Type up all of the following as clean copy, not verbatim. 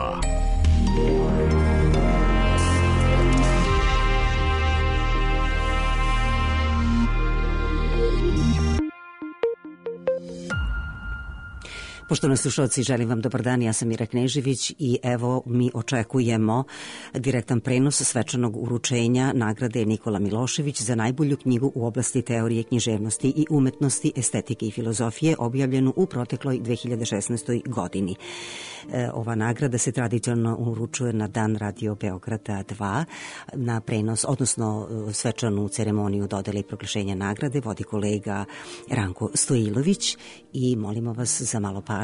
2. Poštovani slušalci, želim vam dobar dan, ja sam Mira Knežević i evo mi očekujemo direktan prenos svečanog uručenja nagrade Nikola Milošević za najbolju knjigu u oblasti teorije književnosti i umetnosti, estetike i filozofije, objavljenu u protekloj 2016. godini. Ova nagrada se tradicionalno uručuje na dan Radio Beograda 2, na prenos, odnosno svečanu ceremoniju dodele i proglašenja nagrade vodi kolega Ranko Stojilović i molimo vas za malo pažnje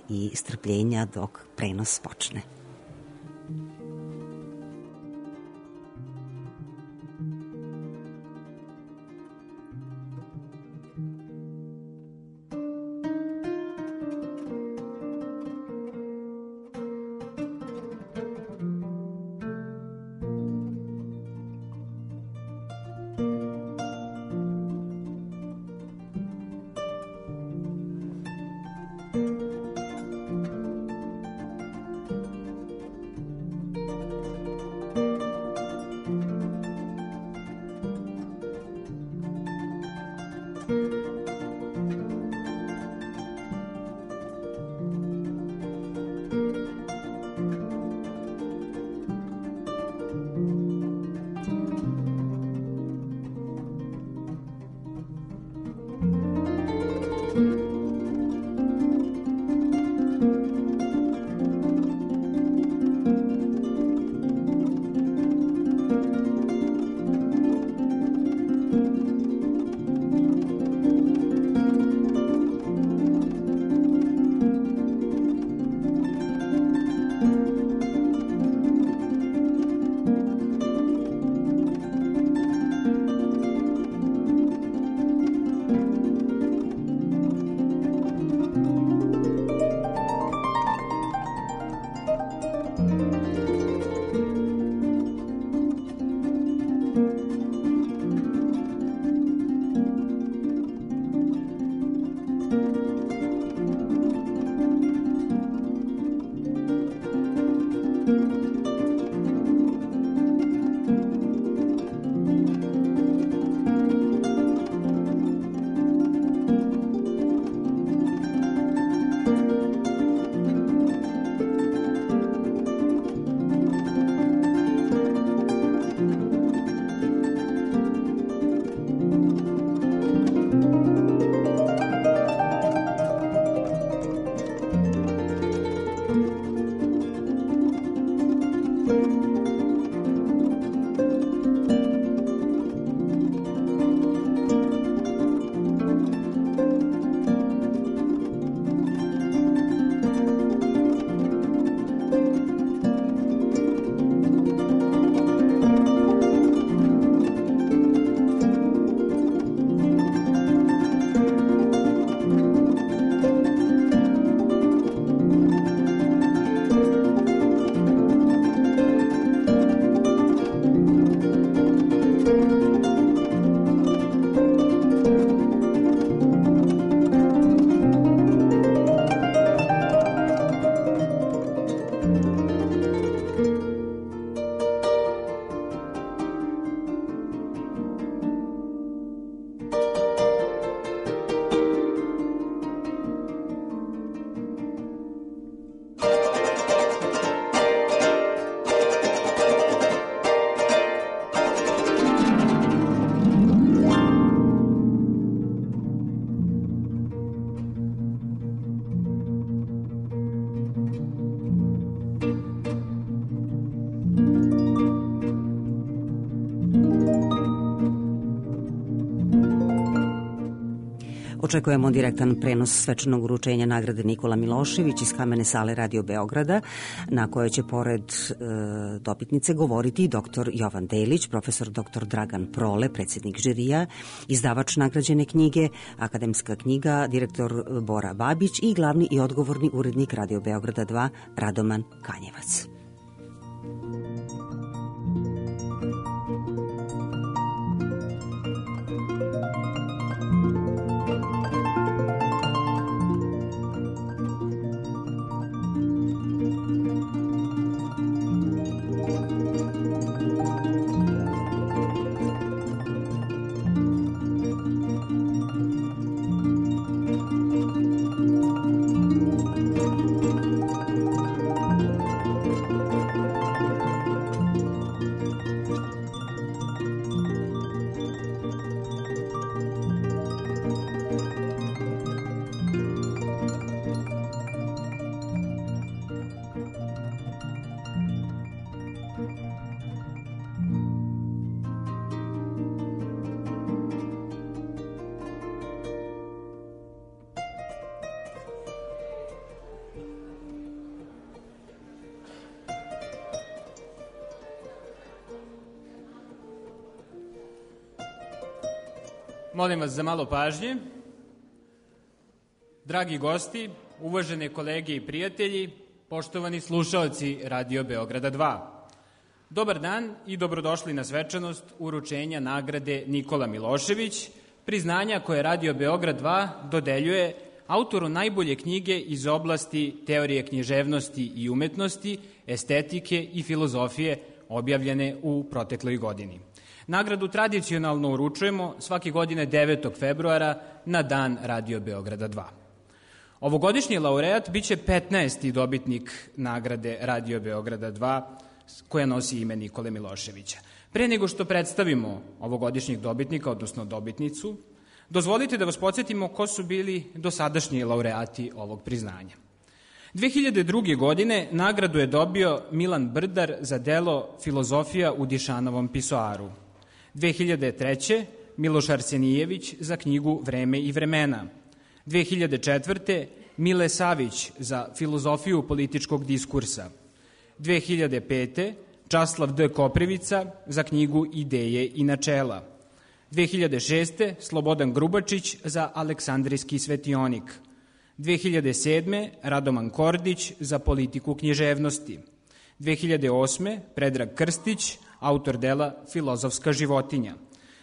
i strpljenja dok prenos počne. Očekujemo direktan prenos svečanog uručenja nagrade Nikola Milošević iz kamene sale Radio Beograda, na kojoj će pored dobitnice govoriti dr. Jovan Delić, profesor dr. Dragan Prole, predsjednik žirija, izdavač nagrađene knjige, akademska knjiga, direktor Bora Babić i glavni i odgovorni urednik Radio Beograda 2 Radoman Kanjevac. Molim vas za malo pažnje. Dragi gosti, uvažene kolege i prijatelji, poštovani slušaoci Radio Beograda 2. Dobar dan i dobrodošli na svečanost uručenja nagrade Nikola Milošević, priznanja koje Radio Beograd 2 dodeljuje autoru najbolje knjige iz oblasti teorije književnosti i umetnosti, estetike i filozofije objavljene u protekloj godini. Nagradu tradicionalno uručujemo svake godine 9. februara na dan Radio Beograda 2. Ovogodišnji laureat biće 15. dobitnik nagrade Radio Beograda 2 koja nosi ime Nikole Miloševića. Pre nego što predstavimo ovogodišnjeg dobitnika, odnosno dobitnicu, dozvolite da vas podsjetimo ko su bili dosadašnji laureati ovog priznanja. 2002. godine nagradu je dobio Milan Brdar za delo Filozofija u Dišanovom pisoaru. 2003. Miloš Arsenijević za knjigu Vreme i vremena. 2004. Mile Savić za Filozofiju političkog diskursa. 2005. Časlav D. Koprivica za knjigu Ideje i načela. 2006. Slobodan Grubačić za Aleksandrijski svetionik. 2007. Radoman Kordić za politiku književnosti. 2008. Predrag Krstić, autor dela Filozofska životinja.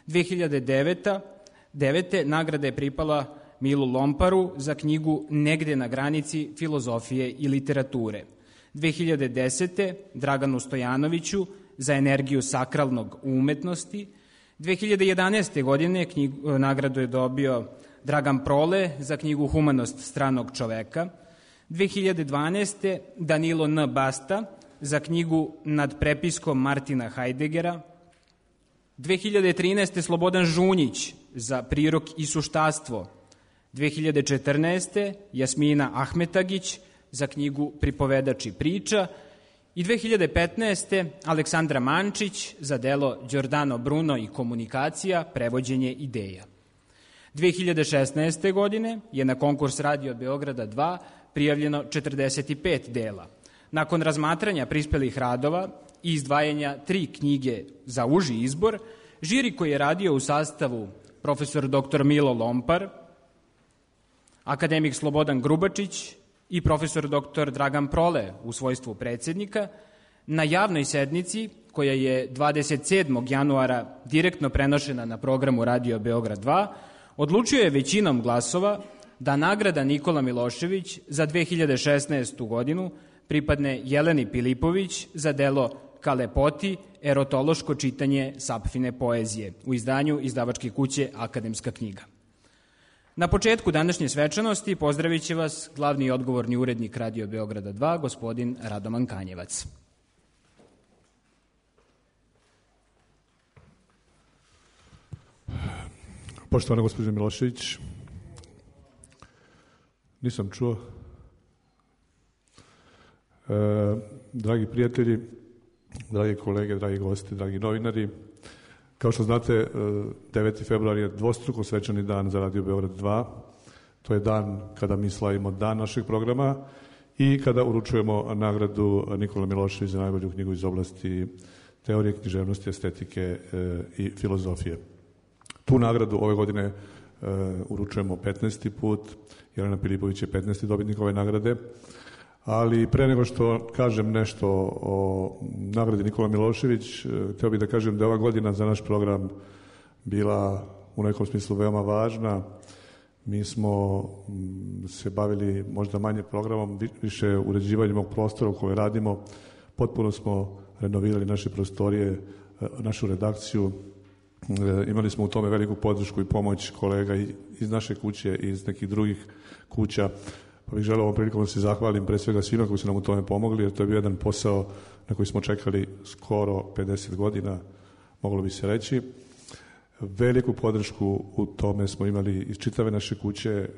2009. nagrada je pripala Milu Lomparu za knjigu Negde na granici filozofije i literature. 2010. Draganu Stojanoviću za energiju sakralnog u umetnosti. 2011. godine nagradu je dobio Dragan Prole za knjigu Humanost stranog čoveka. 2012. Danilo N. Basta za knjigu Nad prepiskom Martina Hajdeggera. 2013. Slobodan Žunjić za Prirok i suštastvo. 2014. Jasmina Ahmetagić za knjigu Pripovedač i priča i 2015. Aleksandra Mančić za delo Giordano Bruno i komunikacija, prevođenje ideja. 2016. godine je na konkurs Radio Beograda 2 prijavljeno 45 dela. Nakon razmatranja prispelih radova i izdvajanja 3 knjige za uži izbor, žiri koji je radio u sastavu profesor dr. Milo Lompar, akademik Slobodan Grubačić i profesor dr. Dragan Prole u svojstvu predsednika, na javnoj sednici koja je 27. januara direktno prenošena na programu Radio Beograd 2, odlučio je većinom glasova da nagrada Nikola Milošević za 2016. godinu pripadne Jeleni Pilipović za delo Ka lepoti, erotološko čitanje Sapfine poezije u izdanju izdavačke kuće Akademska knjiga. Na početku današnje svečanosti pozdravit će vas glavni i odgovorni urednik Radio Beograda 2, gospodin Radoman Kanjevac. Poštovana gospođo Milošević, nisam čuo. Dragi prijatelji, dragi kolege, dragi gosti, dragi novinari, kao što znate, 9. februar je dvostruko svečani dan za Radio Beograd 2. To je dan kada mi slavimo dan našeg programa i kada uručujemo nagradu Nikola Milošević za najbolju knjigu iz oblasti teorije književnosti, estetike i filozofije. Tu nagradu ove godine uručujemo 15. put. Jelena Pilipović je 15. dobitnik ove nagrade. Ali pre nego što kažem nešto o nagradi Nikola Milošević, htio bih da kažem da je ova godina za naš program bila u nekom smislu veoma važna. Mi smo se bavili možda manje programom, više uređivanjem ovog prostora u kojem radimo. Potpuno smo renovirali naše prostorije, našu redakciju. Imali smo u tome veliku podršku i pomoć kolega iz naše kuće i iz nekih drugih kuća. Pa bih želeo ovom prilikom da se zahvalim pre svega svima koji su nam u tome pomogli, jer to je bio jedan posao na koji smo čekali skoro 50 godina, moglo bi se reći. Veliku podršku u tome smo imali iz čitave naše kuće,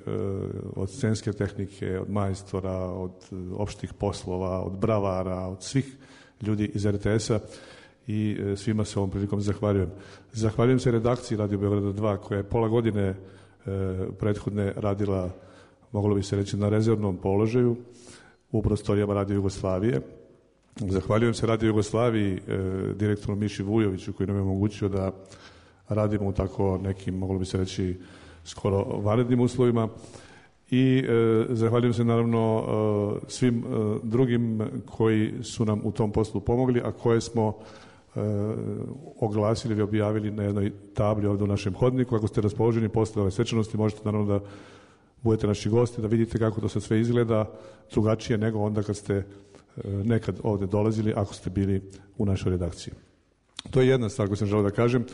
od scenske tehnike, od majstora, od opštih poslova, od bravara, od svih ljudi iz RTS-a i svima se ovom prilikom zahvaljujem. Zahvaljujem se redakciji Radio Beograda 2 koja je pola godine prethodne radila, moglo bi se reći, na rezervnom položaju u prostorijama Radio Jugoslavije. Zahvaljujem se Radio Jugoslaviji, direktoru Miši Vujoviću koji nam je omogućio da radimo u tako nekim, moglo bi se reći, skoro vanrednim uslovima. I zahvaljujem se naravno svim drugim koji su nam u tom poslu pomogli, a koje smo oglasili ili objavili na jednoj tabli ovdje u našem hodniku. Ako ste raspoloženi posle ove svečanosti, možete naravno da budete naši gosti, da vidite kako to sve izgleda, drugačije nego onda kad ste nekad ovdje dolazili, ako ste bili u našoj redakciji. To je jedna stvar koju sam želeo da kažem.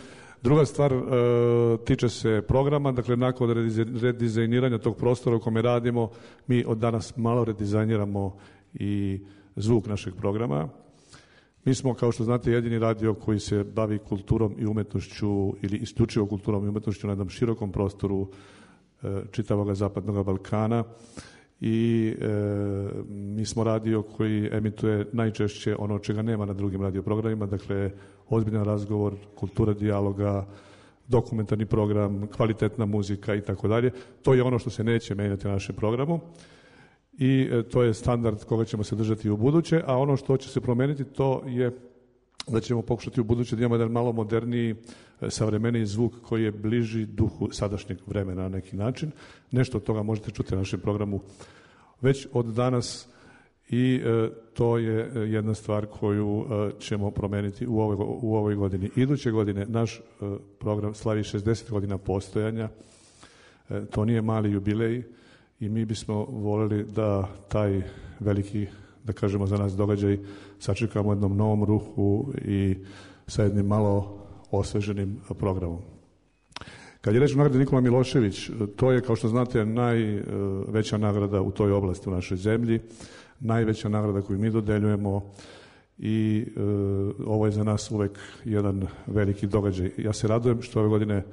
Druga stvar tiče se programa, dakle nakon redizajniranja tog prostora u kome radimo, mi od danas malo redizajniramo i zvuk našeg programa. Mi smo, kao što znate, jedini radio koji se bavi kulturom i umetnošću ili isključivo kulturom i umetnošću na jednom širokom prostoru čitavog Zapadnog Balkana i mi smo radio koji emituje najčešće ono čega nema na drugim radioprogramima, dakle ozbiljan razgovor, kultura dijaloga, dokumentarni program, kvalitetna muzika i tako dalje. To je ono što se neće menjati na našem programu i to je standard koga ćemo se držati u buduće, a ono što će se promeniti to je da ćemo pokušati u buduće da imamo jedan malo moderniji, savremeniji zvuk koji je bliži duhu sadašnjeg vremena na neki način. Nešto od toga možete čuti na našem programu već od danas i to je jedna stvar koju ćemo promeniti u ovoj godini. Iduće godine naš program slavi 60 godina postojanja. To nije mali jubilej i mi bismo voljeli da taj veliki, da kažemo za nas događaj, sačekamo u jednom novom ruhu i sa jednim malo osveženim programom. Kad je reč o nagradi Nikola Milošević, to je, kao što znate, najveća nagrada u toj oblasti u našoj zemlji, najveća nagrada koju mi dodeljujemo i ovo je za nas uvek jedan veliki događaj. Ja se radujem što ove godine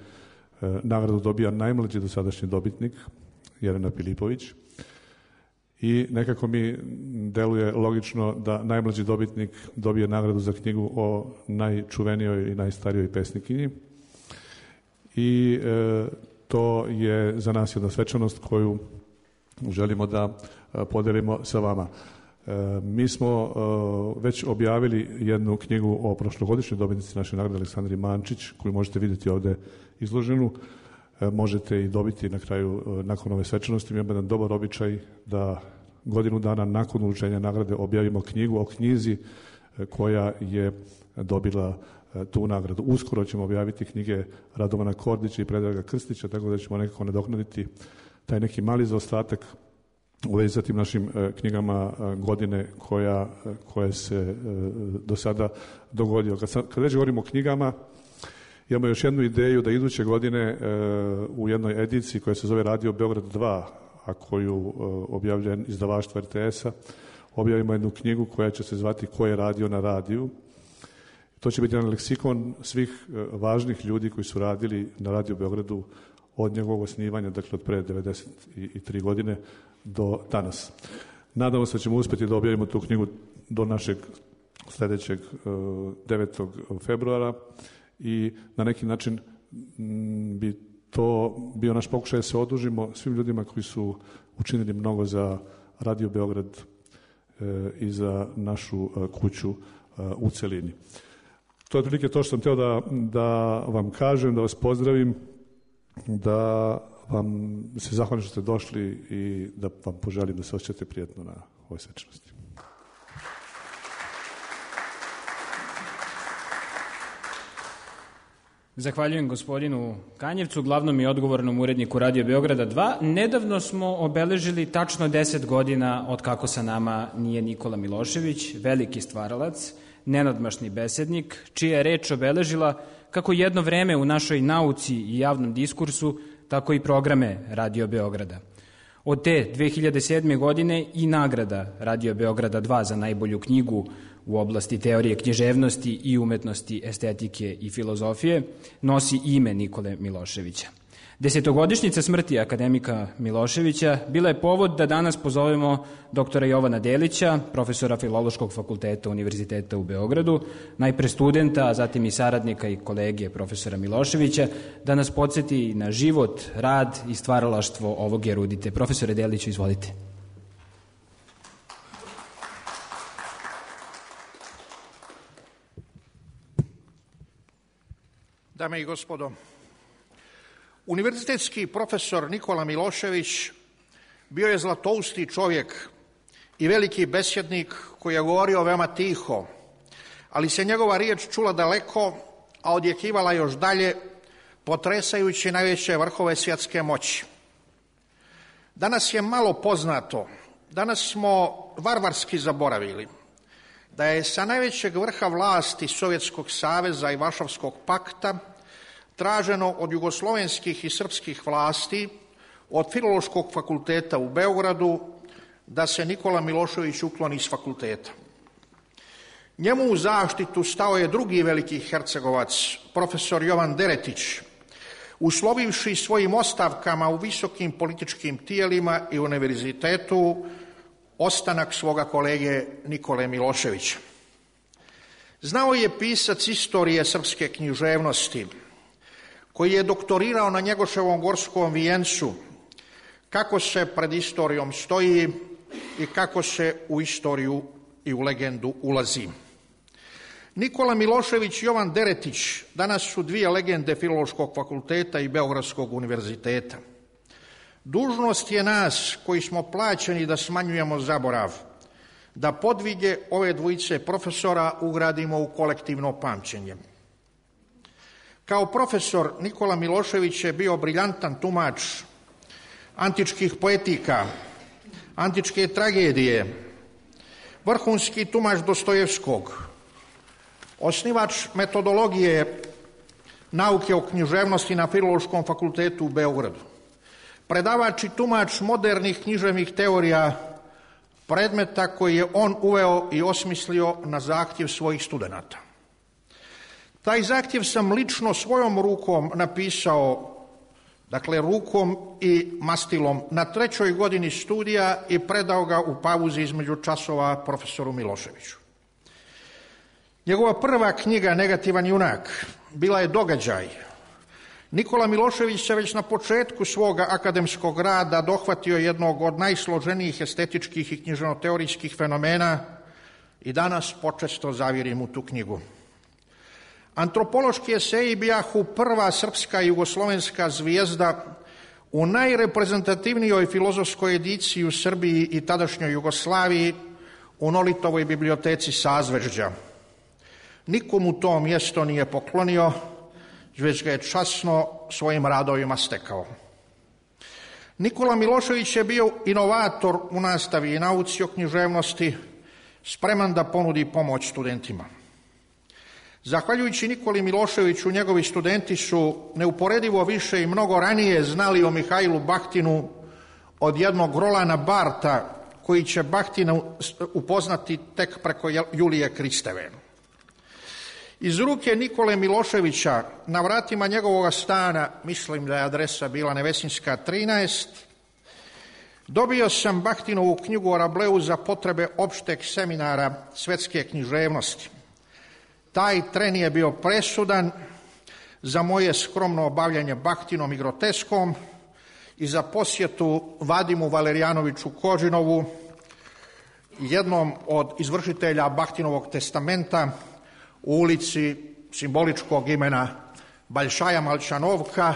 nagradu dobija najmlađi dosadašnji dobitnik, Jelena Filipović, i nekako mi deluje logično da najmlađi dobitnik dobije nagradu za knjigu o najčuvenijoj i najstarijoj pesnikinji. I to je za nas jedna svečanost koju želimo da podelimo sa vama. Mi smo već objavili jednu knjigu o prošlogodišnjoj dobitnici naše nagrade Aleksandri Mančić, koju možete vidjeti ovde izloženu. Možete i dobiti na kraju, nakon ove svečanosti. Mi imamo jedan dobar običaj da godinu dana nakon uručenja nagrade objavimo knjigu o knjizi koja je dobila tu nagradu. Uskoro ćemo objaviti knjige Radovana Kordića i Predraga Krstića, tako da ćemo nekako nadoknaditi taj neki mali zaostatak u vezi sa tim našim knjigama godine koja se do sada dogodila. Kad već govorimo o knjigama, imamo još jednu ideju da iduće godine u jednoj ediciji koja se zove Radio Beograd 2, a koju objavlja izdavaštvo RTS-a, objavimo jednu knjigu koja će se zvati Ko je radio na radiju. To će biti jedan leksikon svih važnih ljudi koji su radili na Radio Beogradu od njegovog osnivanja, dakle od pre 93 godine do danas. Nadamo se da ćemo uspjeti da objavimo tu knjigu do našeg sljedećeg 9. februara i na neki način bi to bio naš pokušaj da se odužimo svim ljudima koji su učinili mnogo za Radio Beograd i za našu kuću u celini. To je otprilike to što sam htio da vam kažem, da vas pozdravim, da vam se zahvalim što ste došli i da vam poželim da se osjećate prijatno na ovoj svečanosti. Zahvaljujem gospodinu Kanjevcu, glavnom i odgovornom uredniku Radio Beograda 2. Nedavno smo obeležili tačno 10 godina od kako sa nama nije Nikola Milošević, veliki stvaralac, nenadmašni besednik, čija je reč obeležila kako jedno vreme u našoj nauci i javnom diskursu, tako i programe Radio Beograda. Od te 2007. godine i nagrada Radio Beograda 2 za najbolju knjigu u oblasti teorije književnosti i umetnosti, estetike i filozofije nosi ime Nikole Miloševića. Desetogodišnjica smrti akademika Miloševića bila je povod da danas pozovemo doktora Jovana Delića, profesora Filološkog fakulteta Univerziteta u Beogradu, najpre studenta, a zatim i saradnika i kolege profesora Miloševića, da nas podsjeti na život, rad i stvaralaštvo ovog erudite. Profesore Deliću, izvolite. Dame i gospodo, univerzitetski profesor Nikola Milošević bio je zlatousti čovjek i veliki besjednik koji je govorio veoma tiho, ali se njegova riječ čula daleko, a odjekivala još dalje, potresajući najveće vrhove svjetske moći. Danas je malo poznato, danas smo varvarski zaboravili da je sa najvećeg vrha vlasti Sovjetskog saveza i Varšavskog pakta traženo od jugoslovenskih i srpskih vlasti, od Filološkog fakulteta u Beogradu, da se Nikola Milošević ukloni s fakulteta. Njemu u zaštitu stao je drugi veliki hercegovac, profesor Jovan Deretić, uslovivši svojim ostavkama u visokim političkim tijelima i univerzitetu ostanak svoga kolege Nikole Miloševića. Znao je pisac istorije srpske književnosti, koji je doktorirao na Njegoševom Gorskom vijencu, kako se pred istorijom stoji i kako se u istoriju i u legendu ulazi. Nikola Milošević i Jovan Deretić danas su dvije legende Filološkog fakulteta i Beogradskog univerziteta. Dužnost je nas koji smo plaćeni da smanjujemo zaborav, da podvige ove dvojice profesora ugradimo u kolektivno pamćenje. Kao profesor Nikola Milošević je bio briljantan tumač antičkih poetika, antičke tragedije, vrhunski tumač Dostojevskog, osnivač metodologije nauke o književnosti na Filološkom fakultetu u Beogradu, predavač i tumač modernih književnih teorija, predmeta koji je on uveo i osmislio na zahtjev svojih studenata. Taj zahtjev sam lično svojom rukom napisao, dakle rukom i mastilom, na 3. godini studija i predao ga u pauzi između časova profesoru Miloševiću. Njegova prva knjiga, Negativan junak, bila je događaj. Nikola Milošević se već na početku svoga akademskog rada dohvatio jednog od najsloženijih estetičkih i književno-teorijskih fenomena i danas počesto zavirim u tu knjigu. Antropološki eseji bijahu prva srpska i jugoslovenska zvijezda u najreprezentativnijoj filozofskoj ediciji u Srbiji i tadašnjoj Jugoslaviji u Nolitovoj biblioteci Sazvežđa. Nikomu to mjesto nije poklonio, već ga je časno svojim radovima stekao. Nikola Milošević je bio inovator u nastavi i nauci o književnosti, spreman da ponudi pomoć studentima. Zahvaljujući Nikoli Miloševiću, njegovi studenti su neuporedivo više i mnogo ranije znali o Mihajlu Bahtinu od jednog Rolana Barta, koji će Bahtina upoznati tek preko Julije Kristeve. Iz ruke Nikole Miloševića na vratima njegovog stana, mislim da je adresa bila Nevesinska 13, dobio sam Bahtinovu knjigu o Rableu za potrebe opšteg seminara svetske književnosti. Taj tren je bio presudan za moje skromno obavljanje Bahtinom i groteskom i za posjetu Vadimu Valerijanoviću Kožinovu, jednom od izvršitelja Bahtinovog testamenta, u ulici simboličkog imena Baljšaja Malčanovka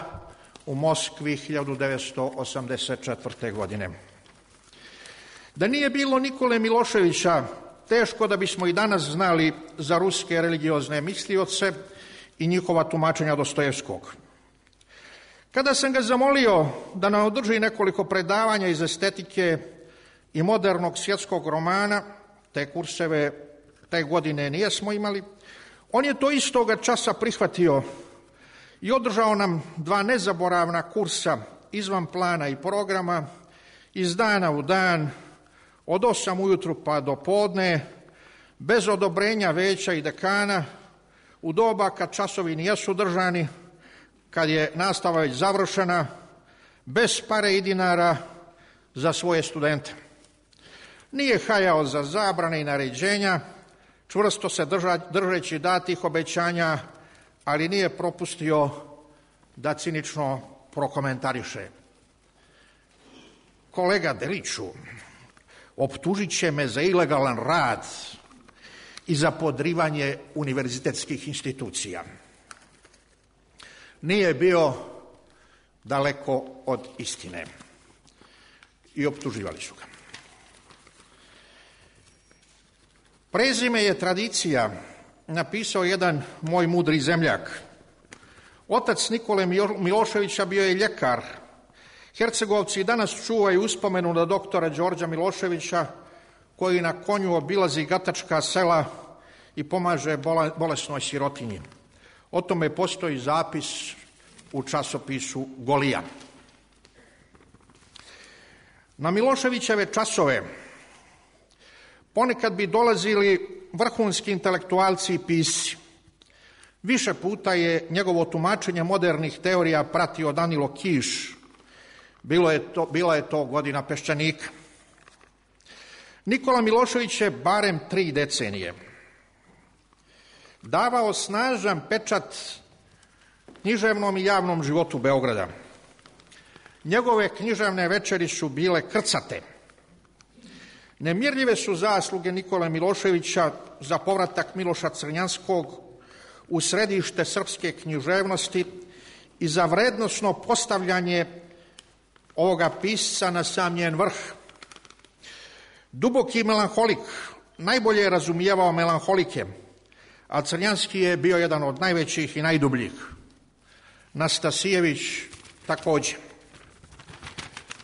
u Moskvi 1984. godine. Da nije bilo Nikole Miloševića, teško da bismo i danas znali za ruske religiozne mislioce i njihova tumačenja Dostojevskog. Kada sam ga zamolio da nam održi nekoliko predavanja iz estetike i modernog svjetskog romana, te kurseve te godine nijesmo imali, on je to istoga časa prihvatio i održao nam 2 nezaboravna kursa izvan plana i programa, iz dana u dan, od 8 ujutru pa do podne, bez odobrenja veća i dekana, u doba kad časovi nijesu držani, kad je nastava već završena, bez pare i dinara za svoje studente. Nije hajao za zabrane i naređenja, čvrsto se držeći datih obećanja, ali nije propustio da cinično prokomentariše. Kolega Deliću, optužit će me za ilegalan rad i za podrivanje univerzitetskih institucija. nije bio daleko od istine i optuživali su ga. Prezime je tradicija, napisao jedan moj mudri zemljak. Otac Nikole Miloševića bio je ljekar. Hercegovci danas čuvaju uspomenu na doktora Đorđa Miloševića, koji na konju obilazi gatačka sela i pomaže bolesnoj sirotinji. O tome postoji zapis u časopisu Golija. Na Miloševićeve časove ponekad bi dolazili vrhunski intelektualci i pisci. Više puta je njegovo tumačenje modernih teorija pratio Danilo Kiš. Bila je to godina Peščanika. Nikola Milošević je barem 3 decenije davao snažan pečat književnom i javnom životu Beograda. Njegove književne večeri su bile krcate. Nemirljive su zasluge Nikole Miloševića za povratak Miloša Crnjanskog u središte srpske književnosti i za vrednosno postavljanje ovoga pisca na sam njen vrh. Duboki melanholik najbolje je razumijevao melanholike, a Crnjanski je bio jedan od najvećih i najdubljih. Nastasijević također.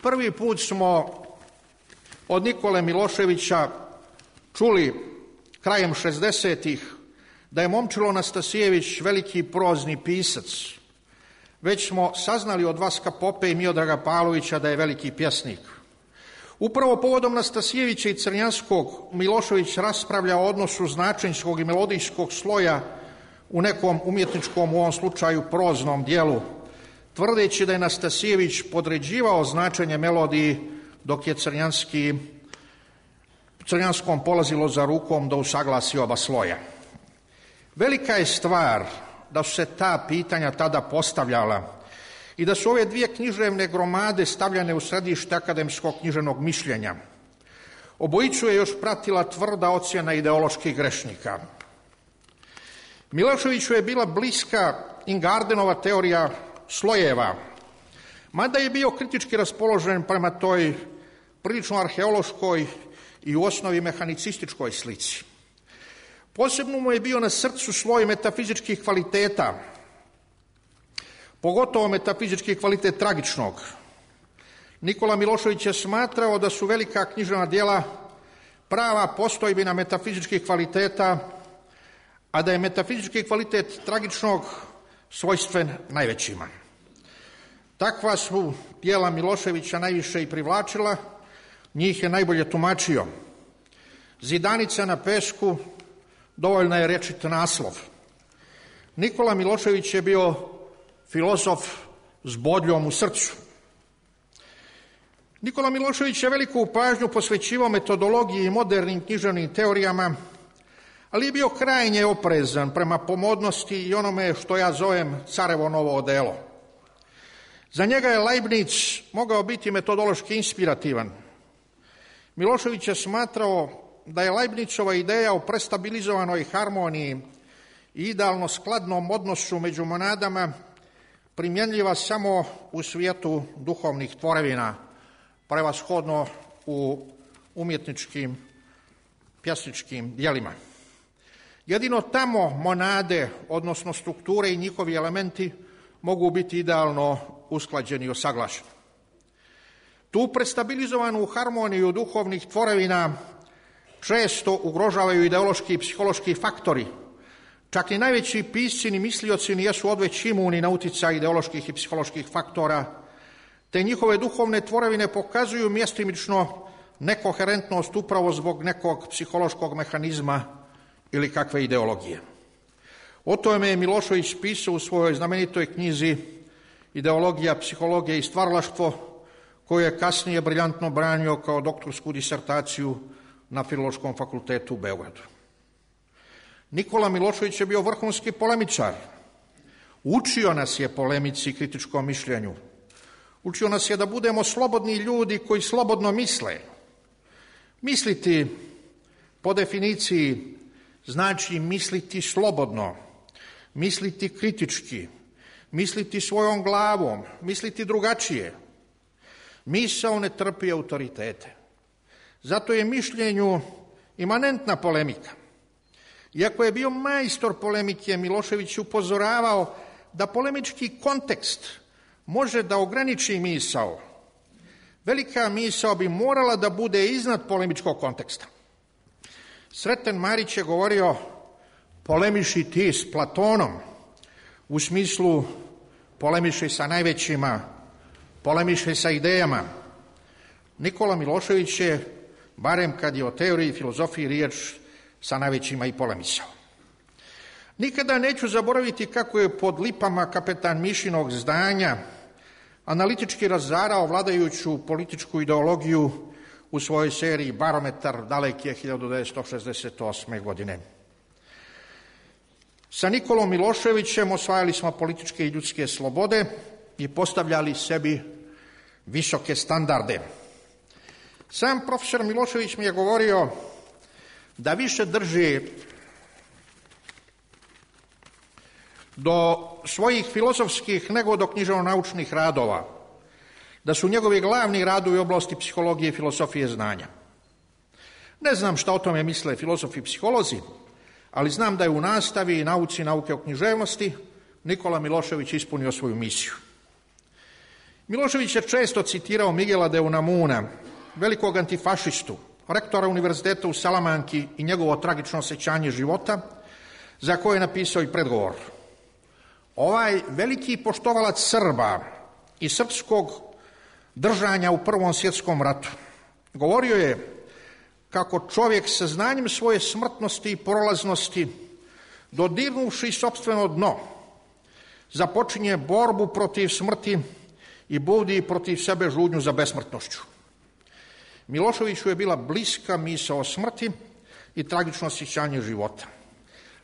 Prvi put smo od Nikole Miloševića čuli krajem 60-ih da je Momčilo Nastasijević veliki prozni pisac. Već smo saznali od Vaska Pope i Miodraga Pavlovića da je veliki pjesnik. Upravo povodom Nastasijevića i Crnjanskog Milošević raspravlja o odnosu značenjskog i melodijskog sloja u nekom umjetničkom, u ovom slučaju proznom dijelu, tvrdeći da je Nastasijević podređivao značenje melodiji, dok je Crnjanskom polazilo za rukom da usaglasi oba sloja. Velika je stvar da su se ta pitanja tada postavljala i da su ove dvije književne gromade stavljane u središte akademskog književnog mišljenja. Obojicu je još pratila tvrda ocjena ideoloških grešnika. Miloševiću je bila bliska Ingardenova teorija slojeva, mada je bio kritički raspoložen prema toj prilično arheološkoj i u osnovi mehanicističkoj slici. Posebno mu je bio na srcu sloj metafizičkih kvaliteta, pogotovo metafizički kvalitet tragičnog. Nikola Milošević je smatrao da su velika književna djela prava postojbina metafizičkih kvaliteta, a da je metafizički kvalitet tragičnog svojstven najvećima. Takva su djela Miloševića najviše i privlačila, njih je najbolje tumačio. Zidanica na pesku, dovoljna je rečit naslov. Nikola Milošević je bio filozof s bodljom u srcu. Nikola Milošević je veliku pažnju posvećivao metodologiji i modernim književnim teorijama, ali je bio krajnje oprezan prema pomodnosti i onome što ja zovem carevo novo odelo. Za njega je Leibniz mogao biti metodološki inspirativan. Milošević je smatrao da je Leibnizova ideja o prestabilizovanoj harmoniji i idealno skladnom odnosu među monadama primjenljiva samo u svijetu duhovnih tvorevina, prevashodno u umjetničkim, pjesničkim djelima. Jedino tamo monade, odnosno strukture i njihovi elementi mogu biti idealno usklađeni i usaglašeni. Tu prestabilizovanu harmoniju duhovnih tvorevina često ugrožavaju ideološki i psihološki faktori. Čak i najveći pisci ni mislioci nijesu odveć imuni na utjecaj ideoloških i psiholoških faktora, te njihove duhovne tvorevine pokazuju mjestimično nekoherentnost upravo zbog nekog psihološkog mehanizma ili kakve ideologije. O tome je Milošević pisao u svojoj znamenitoj knjizi Ideologija, psihologija i stvaralaštvo, koju je kasnije briljantno branio kao doktorsku disertaciju na Filološkom fakultetu u Beogradu. Nikola Milošević je bio vrhunski polemičar. Učio nas je polemici i kritičkom mišljenju. Učio nas je da budemo slobodni ljudi koji slobodno misle. Misliti po definiciji znači misliti slobodno, misliti kritički, misliti svojom glavom, misliti drugačije. Misao ne trpi autoritete. Zato je mišljenju imanentna polemika. Iako je bio majstor polemike, Milošević upozoravao da polemički kontekst može da ograniči misao. Velika misao bi morala da bude iznad polemičkog konteksta. Sreten Marić je govorio: polemiši ti s Platonom, u smislu polemiši sa najvećima, polemiši sa idejama. Nikola Milošević je, barem kad je o teoriji i filozofiji riječ, sa najvećima i polemisao. Nikada neću zaboraviti kako je pod lipama kapetan Mišinog zdanja analitički razarao vladajuću političku ideologiju u svojoj seriji Barometar daleke 1968. godine. Sa Nikolom Miloševićem osvajali smo političke i ljudske slobode i postavljali sebi visoke standarde. Sam profesor Milošević mi je govorio da više drži do svojih filozofskih nego do književno-naučnih radova, da su njegovi glavni radovi u oblasti psihologije i filozofije znanja. Ne znam šta o tome misle filozofi i psiholozi, ali znam da je u nastavi i nauci nauke o književnosti Nikola Milošević ispunio svoju misiju. Milošević je često citirao Miguela de Unamuna, velikog antifašistu, rektora univerziteta u Salamanki i njegovo tragično osjećanje života, za koje je napisao i predgovor. Ovaj veliki poštovalac Srba i srpskog držanja u Prvom svjetskom ratu govorio je kako čovjek sa znanjem svoje smrtnosti i prolaznosti, dodirnuvši sopstveno dno, započinje borbu protiv smrti i budi protiv sebe žudnju za besmrtnošću. Miloševiću je bila bliska misao o smrti i tragično osjećanje života.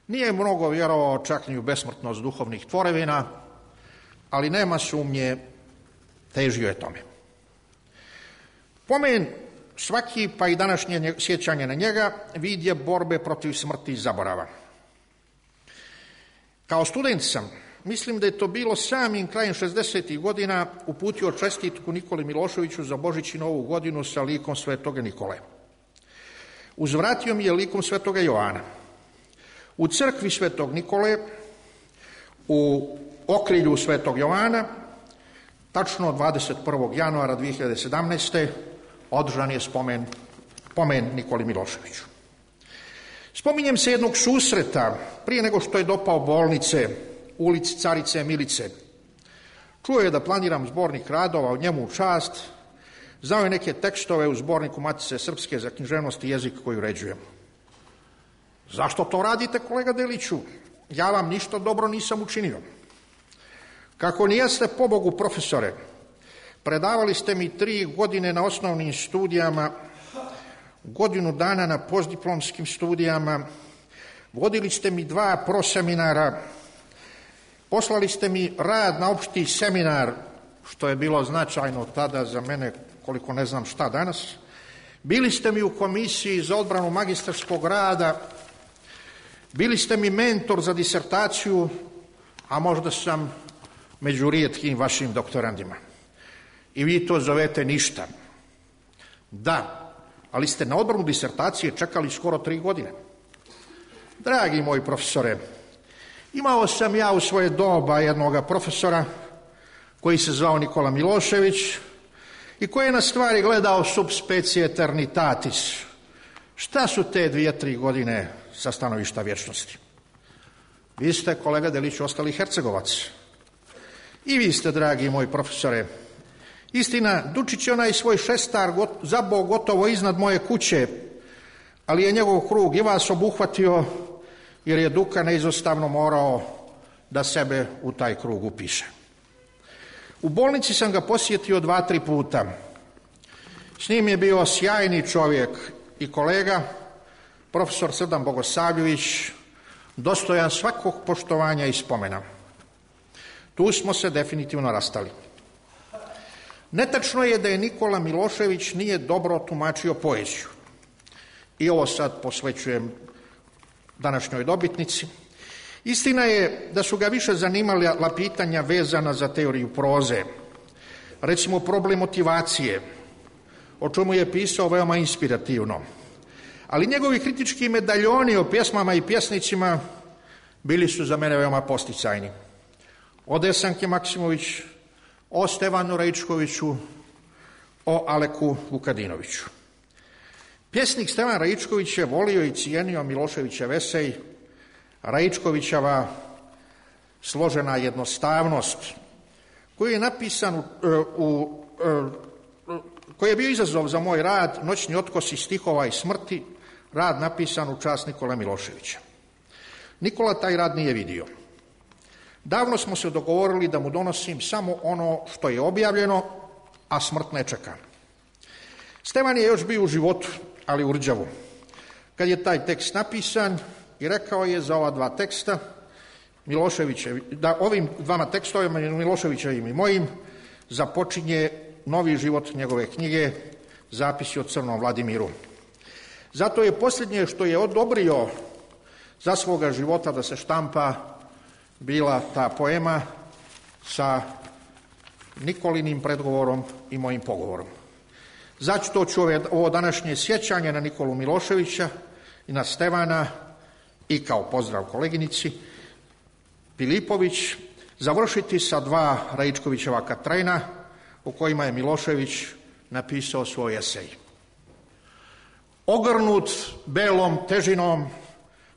Nije mnogo vjerovao čak ni u besmrtnost duhovnih tvorevina, ali nema sumnje, težio je tome. Pomen svaki, pa i današnje sjećanje na njega, vid je borbe protiv smrti i zaborava. Kao student sam, mislim da je to bilo samim krajem 60. godina, uputio čestitku Nikoli Miloševiću za Božić i Novu godinu sa likom Svetoga Nikole. Uzvratio mi je likom Svetoga Jovana. U crkvi Svetog Nikole, u okrilju Svetog Jovana, tačno 21. januara 2017. održan je pomen Nikoli Miloševiću. Spominjem se jednog susreta prije nego što je dopao bolnice u ulici Carice Milice. Čuo je da planiram zbornik radova o njemu u čast, znao je neke tekstove u zborniku Matice Srpske za književnost i jezik koji uređujem. Zašto to radite, kolega Deliću? Ja vam ništa dobro nisam učinio. Kako nijeste, pobogu, profesore, predavali ste mi 3 godine na osnovnim studijama, godinu dana na postdiplomskim studijama, vodili ste mi 2 proseminara, poslali ste mi rad na opšti seminar, što je bilo značajno tada za mene, koliko ne znam šta danas. Bili ste mi u komisiji za odbranu magistarskog rada, bili ste mi mentor za disertaciju, a možda sam među rijetkim vašim doktorandima. I vi to zovete ništa. Da, ali ste na odbranu disertacije čekali skoro 3 godine. Dragi moji profesore, imao sam ja u svoje doba jednoga profesora koji se zvao Nikola Milošević i koji je na stvari gledao sub specie eternitatis. Šta su te 2-3 godine sa stanovišta vječnosti? Vi ste, kolega Delić, ostali Hercegovac. I vi ste, dragi moji profesore. Istina, Dučić je onaj svoj šestar zabao gotovo iznad moje kuće, ali je njegov krug i vas obuhvatio, jer je Duka neizostavno morao da sebe u taj krug upiše. U bolnici sam ga posjetio 2-3 puta. S njim je bio sjajni čovjek i kolega, profesor Srdan Bogosavljević, dostojan svakog poštovanja i spomena. Tu smo se definitivno rastali. Netačno je da je Nikola Milošević nije dobro tumačio poeziju. I ovo sad posvećujem današnjoj dobitnici. Istina je da su ga više zanimala pitanja vezana za teoriju proze, recimo problem motivacije, o čemu je pisao veoma inspirativno. Ali njegovi kritički medaljoni o pjesmama i pjesnicima bili su za mene veoma posticajni. O Desanki Maksimović, o Stevanu Raičkoviću, o Aleku Vukadinoviću. Pjesnik Stevan Raičković je volio i cijenio Miloševićev esej, Raičkovićeva složena jednostavnost, koji je napisan koji je bio izazov za moj rad, Noćni otkosi stihova i smrti, rad napisan u čast Nikole Miloševića. Nikola taj rad nije vidio. Davno smo se dogovorili da mu donosim samo ono što je objavljeno, a smrt ne čeka. Stevan je još bio u životu, ali u rđavu. Kad je taj tekst napisan i rekao je za ova dva teksta, da ovim dvama tekstovima, Miloševićevim i mojim, započinje novi život njegove knjige Zapisi o Crnom Vladimiru. Zato je posljednje što je odobrio za svoga života da se štampa bila ta poema sa Nikolinim predgovorom i mojim pogovorom. Zato ću ovo današnje sjećanje na Nikolu Miloševića i na Stevana i kao pozdrav koleginici Filipović završiti sa dva Raičkovićeva Katrena u kojima je Milošević napisao svoj esej. Ogrnut belom težinom,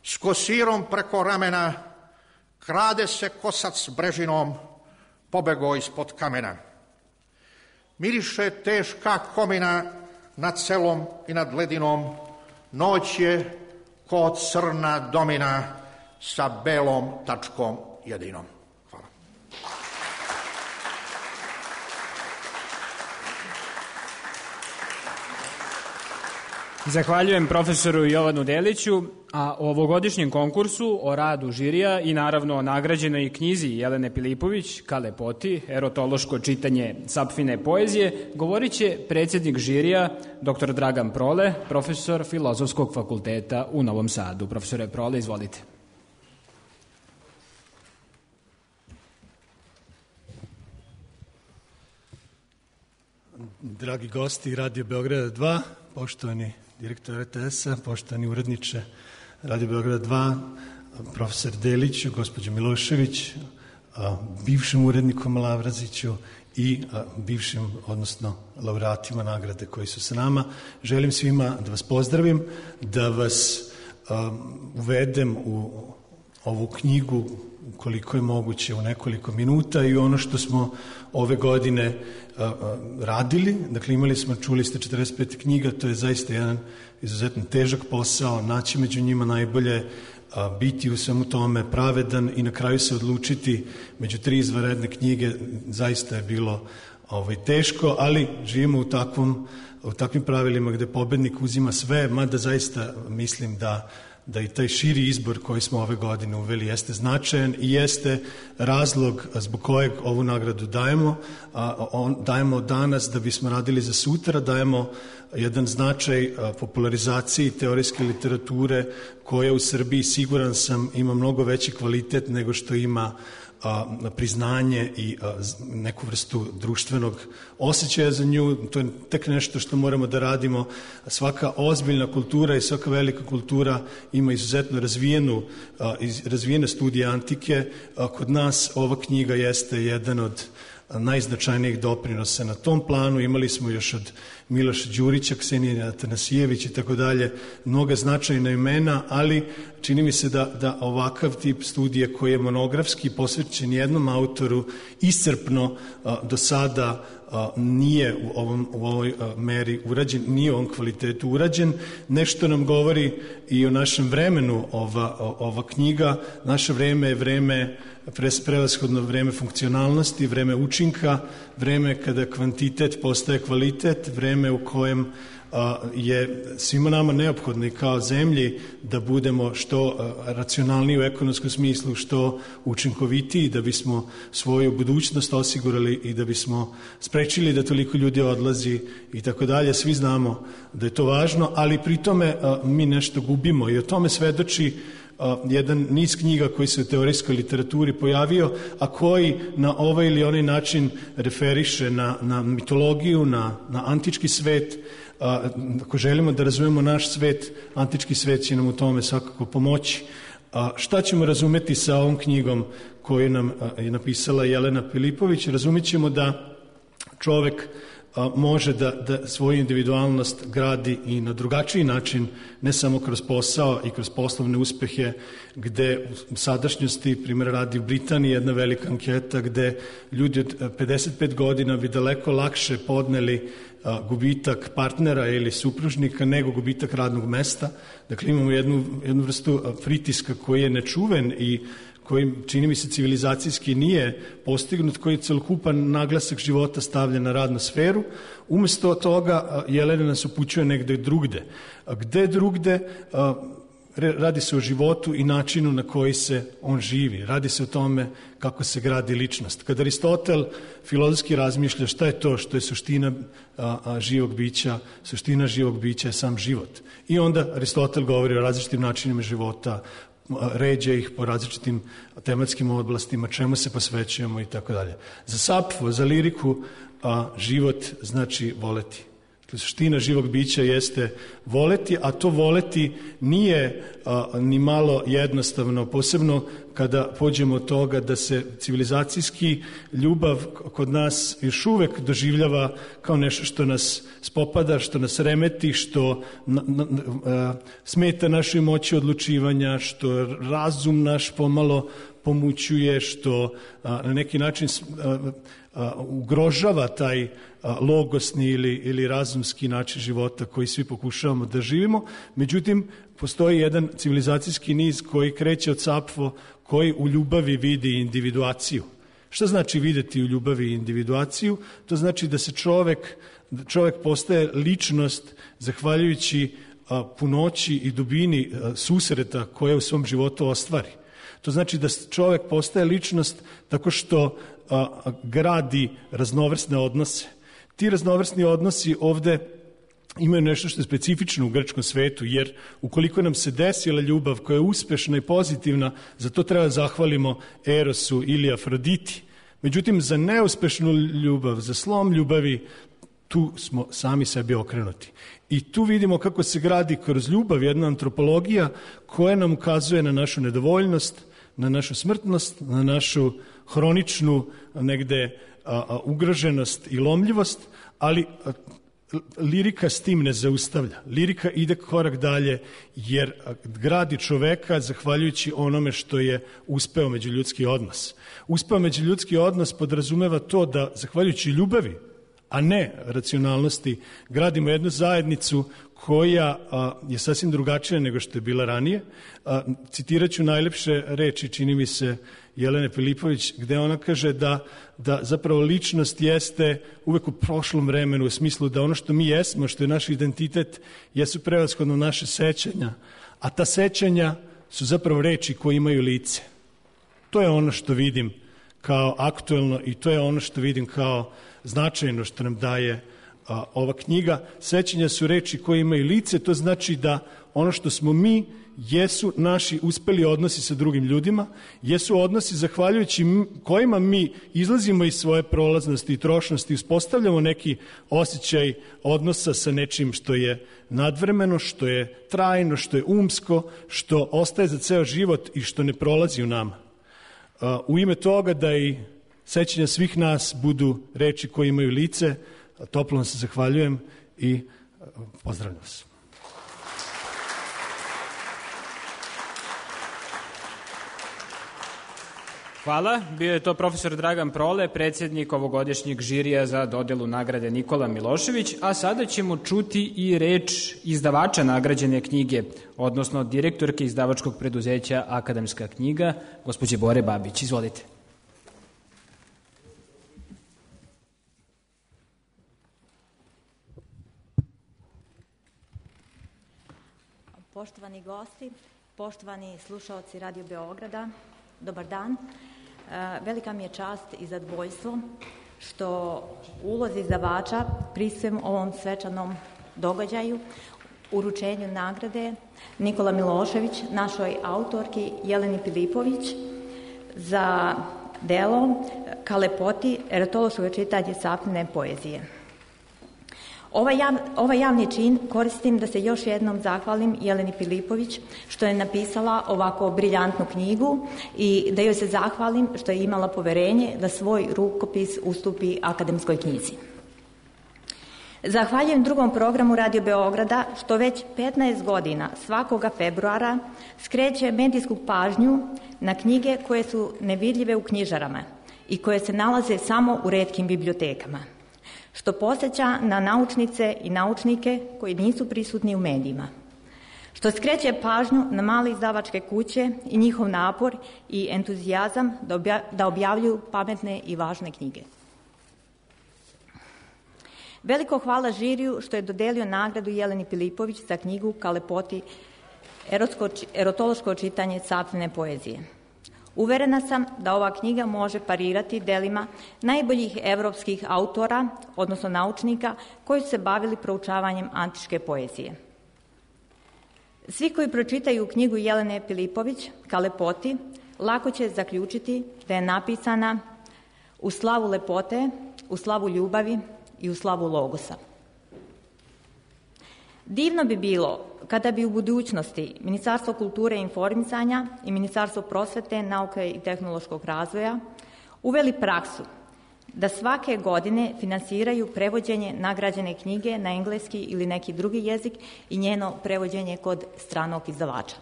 s kosirom preko ramena, krade se kosac brežinom, pobego ispod kamena. Miriše teška komina nad selom i nad ledinom, noć je ko crna domina sa belom tačkom jedinom. Hvala. Zahvaljujem profesoru Jovanu Deliću, a o ovogodišnjem konkursu, o radu žirija i naravno o nagrađenoj knjizi Jelene Filipović ka lepoti, erotološko čitanje Sapfine poezije, govorit će predsjednik žirija, dr. Dragan Prole, profesor Filozofskog fakulteta u Novom Sadu. Profesore Prole, izvolite. Dragi gosti Radio Beograda 2, poštovani direktor RTS-a, poštovani uredniče Radio Beograda 2, profesor Deliću, gospođo Milošević, bivšim urednikom Lavraziću i bivšim, odnosno laureatima nagrade koji su sa nama. Želim svima da vas pozdravim, da vas uvedem u ovu knjigu koliko je moguće u nekoliko minuta i ono što smo ove godine radili. Dakle, imali smo, čuli ste, 45 knjiga, to je zaista jedan izuzetno težak posao, naći među njima najbolje, biti u svemu tome pravedan i na kraju se odlučiti među 3 izvanredne knjige, zaista je bilo teško, ali živimo u takvim pravilima gde pobednik uzima sve, mada zaista mislim da i taj širi izbor koji smo ove godine uveli jeste značajan i jeste razlog zbog kojeg ovu nagradu dajemo. Dajemo danas da bismo radili za sutra, dajemo jedan značaj popularizaciji teorijske literature koja u Srbiji, siguran sam, ima mnogo veći kvalitet nego što ima priznanje i neku vrstu društvenog osjećaja za nju. To je tek nešto što moramo da radimo. Svaka ozbiljna kultura i svaka velika kultura ima izuzetno razvijene studije antike. Kod nas ova knjiga jeste jedan od najznačajnijih doprinosa na tom planu. Imali smo još od Miloša Đurića, Ksenije Atanasijević i tako dalje, mnoga značajna imena, ali čini mi se da ovakav tip studije koji je monografski posvećen jednom autoru iscrpno do sada nije u ovoj meri urađen, nije u ovom kvalitetu urađen. Nešto nam govori i o našem vremenu ova knjiga. Naše vreme je vreme, prevashodno vreme funkcionalnosti, vreme učinka, vreme kada kvantitet postaje kvalitet, vreme u kojem je svima nama neophodno i kao zemlji da budemo što racionalniji u ekonomskom smislu, što učinkovitiji, da bismo svoju budućnost osigurali i da bismo sprečili da toliko ljudi odlazi i tako dalje. Svi znamo da je to važno, ali pri tome mi nešto gubimo i o tome svedoči jedan niz knjiga koji se u teorijskoj literaturi pojavio, a koji na ovaj ili onaj način referiše na mitologiju, na antički svet. Ako želimo da razumemo naš svet, antički svet će nam u tome svakako pomoći. Šta ćemo razumeti sa ovom knjigom koju nam je napisala Jelena Filipović? Razumjet ćemo da čovek može da svoju individualnost gradi i na drugačiji način, ne samo kroz posao i kroz poslovne uspehe, gde u sadašnjosti, primjer radi u Britaniji, jedna velika anketa gde ljudi od 55 godina bi daleko lakše podneli gubitak partnera ili supružnika nego gubitak radnog mesta. Dakle, imamo jednu vrstu pritiska koji je nečuven i koji, čini mi se, civilizacijski nije postignut, koji celokupan naglasak života stavlja na radnu sferu. Umesto toga, Jelena nas upućuje negde drugde. Gde drugde? Radi se o životu i načinu na koji se on živi. Radi se o tome kako se gradi ličnost. Kad Aristotel filozofski razmišlja šta je to što je suština živog bića, suština živog bića je sam život. I onda Aristotel govori o različitim načinima života, ređa ih po različitim tematskim oblastima, čemu se posvećujemo i tako dalje. Za Sapfo, za liriku, život znači voleti. Suština živog bića jeste voleti, a to voleti nije ni malo jednostavno, posebno kada pođemo od toga da se civilizacijski ljubav kod nas još uvek doživljava kao nešto što nas spopada, što nas remeti, što smeta našoj moći odlučivanja, što razum naš pomalo pomućuje, što na neki način ugrožava taj logosni ili razumski način života koji svi pokušavamo da živimo. Međutim, postoji jedan civilizacijski niz koji kreće od Sapfo, koji u ljubavi vidi individuaciju. Šta znači videti u ljubavi individuaciju? To znači da se čovek postaje ličnost zahvaljujući punoći i dubini susreta koje u svom životu ostvari. To znači da čovek postaje ličnost tako što gradi raznovrsne odnose. Ti raznovrsni odnosi ovde imaju nešto što je specifično u grčkom svetu, jer ukoliko nam se desila ljubav koja je uspešna i pozitivna, za to treba zahvalimo Erosu ili Afroditi. Međutim, za neuspešnu ljubav, za slom ljubavi, tu smo sami sebi okrenuti. I tu vidimo kako se gradi kroz ljubav jedna antropologija koja nam ukazuje na našu nedovoljnost, na našu smrtnost, na našu hroničnu negde ugroženost i lomljivost, ali lirika s tim ne zaustavlja. Lirika ide korak dalje jer gradi čoveka zahvaljujući onome što je uspeo međuljudski odnos. Uspeo međuljudski odnos podrazumeva to da zahvaljujući ljubavi, a ne racionalnosti, gradimo jednu zajednicu koja je sasvim drugačija nego što je bila ranije. Citirat ću najlepše reči, čini mi se, Jelene Filipović, gde ona kaže da zapravo ličnost jeste uvek u prošlom vremenu, u smislu da ono što mi jesmo, što je naš identitet, jesu prevashodno naše sećanja, a ta sećanja su zapravo reči koje imaju lice. To je ono što vidim kao aktuelno i to je ono što vidim kao značajno što nam daje ova knjiga. Sećanja su reči koje imaju lice, to znači da ono što smo mi jesu naši uspeli odnosi sa drugim ljudima, jesu odnosi zahvaljujući kojima mi izlazimo iz svoje prolaznosti i trošnosti, uspostavljamo neki osjećaj odnosa sa nečim što je nadvremeno, što je trajno, što je umsko, što ostaje za ceo život i što ne prolazi u nama. U ime toga da i sećanja svih nas budu reči koje imaju lice, toplo vam se zahvaljujem i pozdravljam vas. Hvala. Bio je to profesor Dragan Prole, predsjednik ovogodišnjeg žirija za dodelu nagrade Nikola Milošević, a sada ćemo čuti i reč izdavača nagrađene knjige, odnosno direktorke izdavačkog preduzeća Akademska knjiga, gospođe Bore Babić. Izvolite. Poštovani gosti, poštovani slušaoci Radio Beograda, dobar dan. Velika mi je čast i zadovoljstvo što u ulozi izdavača prisustujem ovom svečanom događaju. uručenju nagrade Nikola Milošević našoj autorki Jeleni Pilipović za delo Ka lepoti erotološkog čitanja sapnene poezije. Ovaj javni čin koristim da se još jednom zahvalim Jeleni Pilipović što je napisala ovako briljantnu knjigu i da joj se zahvalim što je imala poverenje da svoj rukopis ustupi akademskoj knjizi. Zahvaljujem drugom programu Radio Beograda što već 15 godina svakoga februara skreće medijsku pažnju na knjige koje su nevidljive u knjižarama i koje se nalaze samo u retkim bibliotekama, što podsjeća na naučnice i naučnike koji nisu prisutni u medijima, što skreće pažnju na male izdavačke kuće i njihov napor i entuzijazam da objavljuju pametne i važne knjige. Veliko hvala žiriju što je dodelio nagradu Jeleni Pilipović za knjigu Ka lepoti erotološko čitanje sapnene poezije. Uverena sam da ova knjiga može parirati delima najboljih evropskih autora, odnosno naučnika, koji su se bavili proučavanjem antičke poezije. Svi koji pročitaju knjigu Jelene Pilipović, Ka lepoti, lako će zaključiti da je napisana u slavu lepote, u slavu ljubavi i u slavu logosa. Divno bi bilo kada bi u budućnosti Ministarstvo kulture i informisanja i Ministarstvo prosvete, nauke i tehnološkog razvoja uveli praksu da svake godine finansiraju prevođenje nagrađene knjige na engleski ili neki drugi jezik i njeno prevođenje kod stranog izdavača.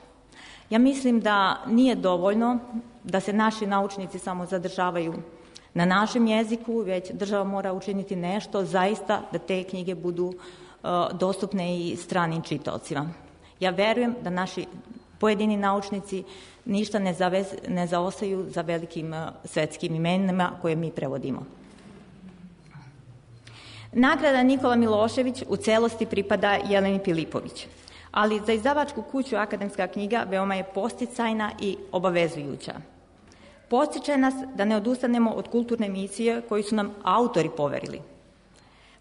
Ja mislim da nije dovoljno da se naši naučnici samo zadržavaju na našem jeziku, već država mora učiniti nešto zaista da te knjige budu dostupne i stranim čitaocima. Ja verujem da naši pojedini naučnici ništa ne zaostaju za velikim svetskim imenima koje mi prevodimo. Nagrada Nikola Milošević u celosti pripada Jeleni Pilipović, ali za izdavačku kuću Akademska knjiga veoma je podsticajna i obavezujuća. Podstiče nas da ne odustanemo od kulturne misije koju su nam autori poverili.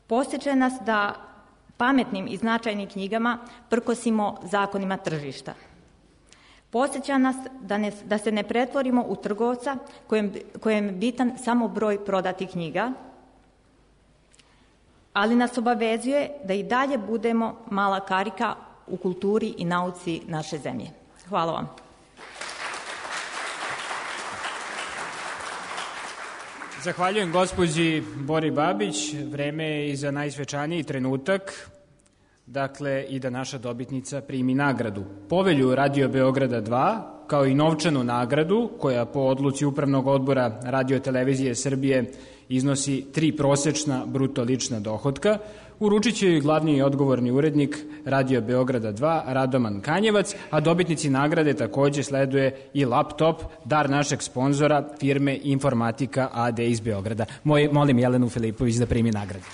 Podstiče nas da pametnim i značajnim knjigama prkosimo zakonima tržišta. Podsjeća nas da se ne pretvorimo u trgovca kojem je bitan samo broj prodatih knjiga, ali nas obavezuje da i dalje budemo mala karika u kulturi i nauci naše zemlje. Hvala vam. Zahvaljujem gospođi Bori Babić. Vreme je i za najsvečaniji trenutak, dakle i da naša dobitnica primi nagradu. Povelju Radio Beograda 2, kao i novčanu nagradu, koja po odluci Upravnog odbora Radio televizije Srbije iznosi 3 prosečna bruto lična dohotka, uručit će joj glavni i odgovorni urednik Radio Beograda 2, Radoman Kanjevac, a dobitnici nagrade takođe sleduje i laptop, dar našeg sponzora, firme Informatika AD iz Beograda. Molim Jelenu Filipović da primi nagradu.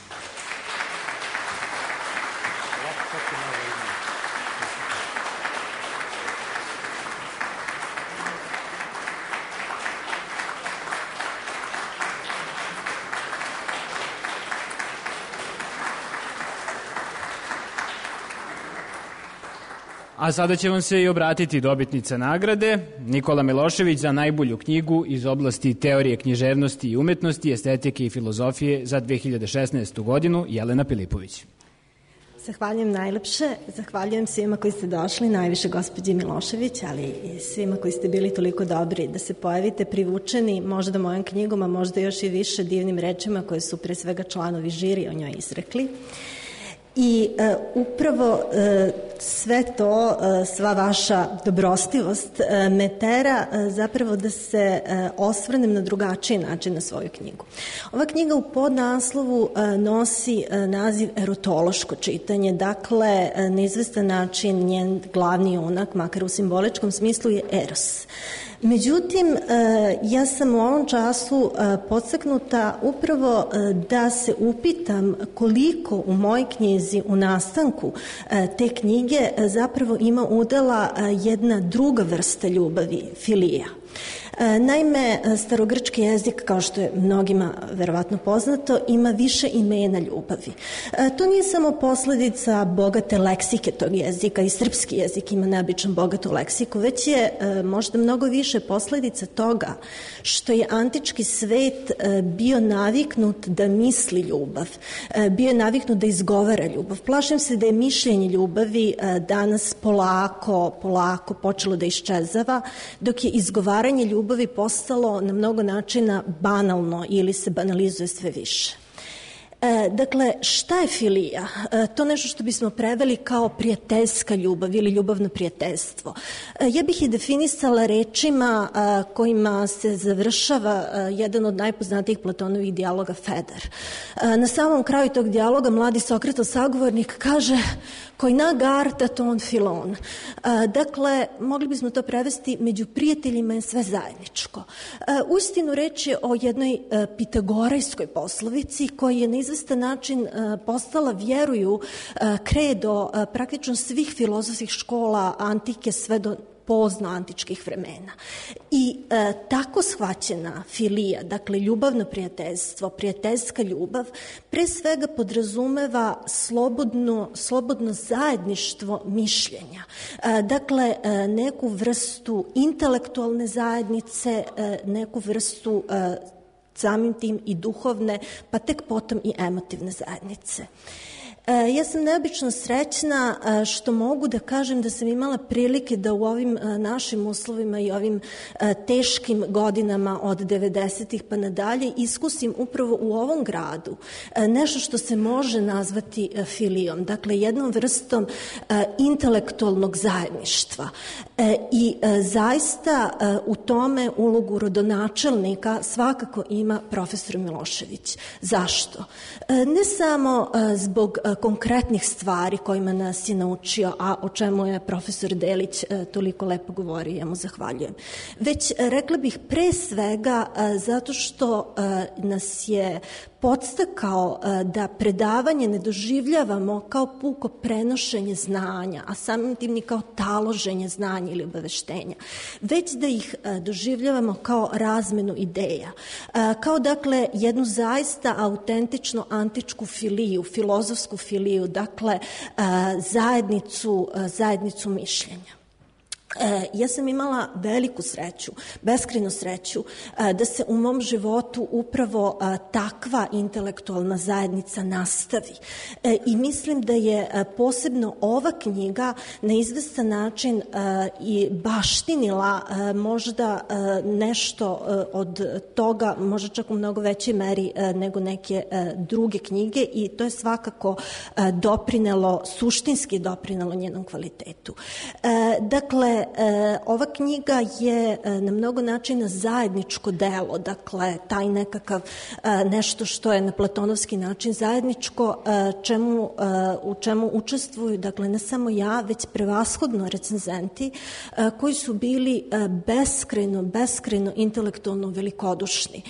A sada će vam se i obratiti dobitnica nagrade, Nikola Milošević za najbolju knjigu iz oblasti teorije književnosti i umetnosti, estetike i filozofije za 2016. godinu, Jelena Pilipović. Zahvaljujem najlepše, zahvaljujem svima koji ste došli, najviše gospođi Milošević, ali i svima koji ste bili toliko dobri da se pojavite privučeni možda mojom knjigom, a možda još i više divnim rečima koje su pre svega članovi žiri o njoj izrekli. I upravo sve to, sva vaša dobrostivost me tera zapravo da se osvrnem na drugačiji način na svoju knjigu. Ova knjiga u podnaslovu nosi naziv erotološko čitanje, dakle na izvestan način njen glavni junak, makar u simboličkom smislu, je Eros. Međutim, ja sam u ovom času podstaknuta upravo da se upitam koliko u mojoj knjizi, u nastanku te knjige zapravo ima udela jedna druga vrsta ljubavi, filija. Naime, starogrčki jezik, kao što je mnogima verovatno poznato, ima više imena ljubavi. To nije samo posledica bogate leksike tog jezika, i srpski jezik ima neobično bogatu leksiku, već je možda mnogo više posledica toga što je antički svet bio naviknut da misli ljubav, bio je naviknut da izgovara ljubav. Plašim se da je mišljenje ljubavi danas polako počelo da iščezava, dok je izgovaranje ljubavi postalo na mnogo načina banalno ili se banalizuje sve više. Dakle, šta je filija? To nešto što bismo preveli kao prijateljska ljubav ili ljubavno prijateljstvo. Ja bih je definisala rečima kojima se završava jedan od najpoznatijih Platonovih dijaloga Feder. Na samom kraju tog dijaloga mladi Sokratov sagovornik kaže koji nagart ton filon. Dakle, mogli bismo to prevesti, među prijateljima je sve zajedničko. Uistinu reč je o jednoj pitagorejskoj poslovici koja je na izvestan način postala, vjeruju, kredo praktično svih filozofskih škola antike sve do pozno antičkih vremena. I tako shvaćena filija, dakle ljubavno prijateljstvo, prijateljska ljubav, pre svega podrazumeva slobodno zajedništvo mišljenja. Dakle, neku vrstu intelektualne zajednice, neku vrstu samim tim i duhovne, pa tek potom i emotivne zajednice. Ja sam neobično srećna što mogu da kažem da sam imala prilike da u ovim našim uslovima i ovim teškim godinama od 90-ih pa nadalje iskusim upravo u ovom gradu nešto što se može nazvati filijom, dakle jednom vrstom intelektualnog zajedništva. I zaista u tome ulogu rodonačelnika svakako ima profesor Milošević. Zašto? Ne samo zbog konkretnih stvari kojima nas je naučio, a o čemu je profesor Delić toliko lepo govorio, ja mu zahvaljujem. Već, rekla bih, pre svega zato što nas je podstakao da predavanje ne doživljavamo kao puko prenošenje znanja, a samim tim ni kao taloženje znanja ili obaveštenja, već da ih doživljavamo kao razmenu ideja, kao dakle jednu zaista autentično antičku filiju, filozofsku filiju, dakle zajednicu mišljenja. Ja sam imala veliku sreću, beskrajnu sreću, da se u mom životu upravo takva intelektualna zajednica nastavi. I mislim da je posebno ova knjiga na izvestan način i baštinila možda nešto od toga, možda čak u mnogo većoj meri nego neke druge knjige, i to je svakako suštinski doprinelo njenom kvalitetu. Dakle, ova knjiga je na mnogo načina zajedničko delo, dakle taj nekakav nešto što je na platonovski način zajedničko, u čemu učestvuju, dakle ne samo ja, već prevashodno recenzenti koji su bili beskrajno intelektualno velikodušni.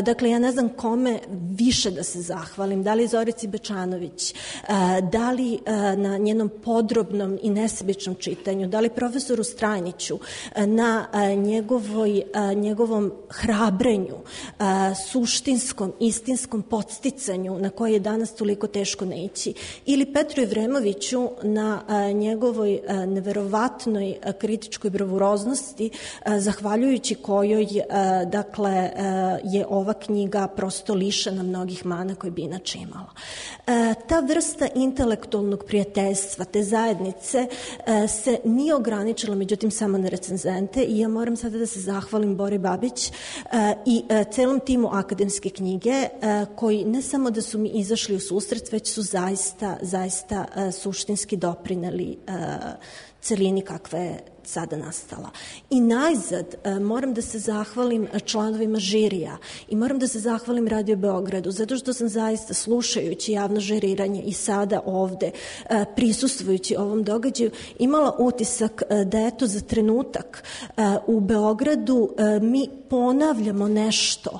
Dakle, ja ne znam kome više da se zahvalim, da li Zorici Bečanović, da li na njenom podrobnom i nesebičnom čitanju, da li profesoru Strajniću, na njegovom hrabrenju, suštinskom, istinskom podsticanju na koje je danas toliko teško naići, ili Petru Evremoviću na njegovoj neverovatnoj kritičkoj bravuroznosti, zahvaljujući kojoj dakle je ova knjiga prosto lišena mnogih mana koje bi inače imala. Ta vrsta intelektualnog prijateljstva, te zajednice se nije ograničila međutim samo na recenzente, i ja moram sada da se zahvalim Bori Babić i celom timu akademske knjige, koji ne samo da su mi izašli u susret, već su zaista suštinski doprineli celini kakva je sada nastala. I najzad moram da se zahvalim članovima žirija i moram da se zahvalim Radio Beogradu, zato što sam zaista, slušajući javno žiriranje i sada ovde prisustvujući ovom događaju, imala utisak da eto za trenutak u Beogradu mi ponavljamo nešto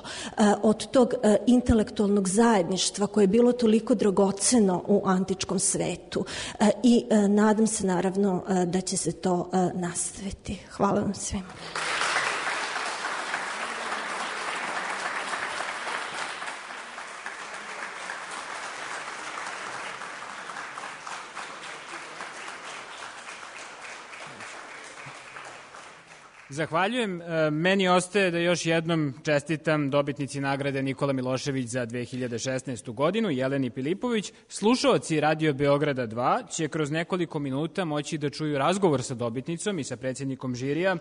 od tog intelektualnog zajedništva koje je bilo toliko dragoceno u antičkom svetu, i nadam se naravno da će se to nastaviti. Hvala vam svima. Zahvaljujem. Meni ostaje da još jednom čestitam dobitnici nagrade Nikola Milošević za 2016. godinu, Jeleni Pilipović. Slušaoci Radio Beograda 2 će kroz nekoliko minuta moći da čuju razgovor sa dobitnicom i sa predsjednikom žirija.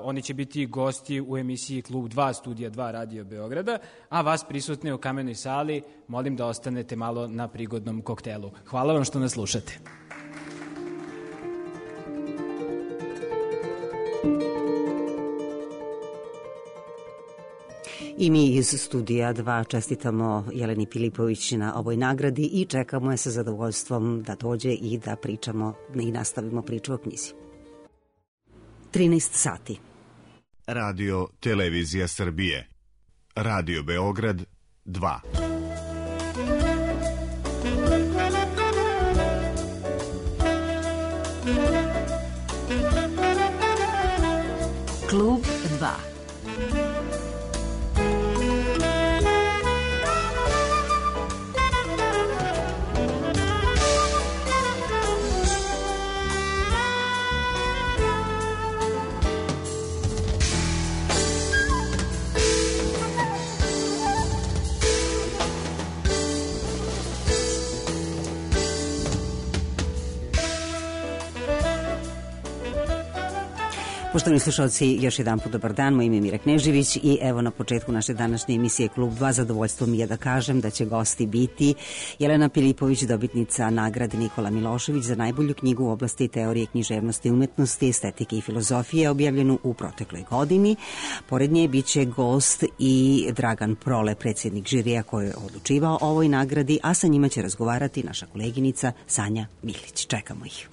Oni će biti gosti u emisiji Klub 2, Studija 2 Radio Beograda, a vas prisutne u Kamenoj sali molim da ostanete malo na prigodnom koktelu. Hvala vam što nas slušate. I mi iz Studija 2 čestitamo Jeleni Pilipović na ovoj nagradi i čekamo je sa zadovoljstvom da dođe i da pričamo i nastavimo priču o knjizi. 13 sati. Radio Televizija Srbije. Radio Beograd 2. Klub 2. Poštovani slušalci, još jedan put dobar dan, moje ime je Mira Knežević i evo na početku naše današnje emisije Klub 2 zadovoljstvo mi je da kažem da će gosti biti Jelena Pilipović, dobitnica nagrade Nikola Milošević za najbolju knjigu u oblasti teorije književnosti, umetnosti, estetike i filozofije, objavljenu u protekloj godini. Pored nje bit će gost i Dragan Prole, predsjednik žirija koji je odlučivao o ovoj nagradi, a sa njima će razgovarati naša koleginica Sanja Milić. Čekamo ih.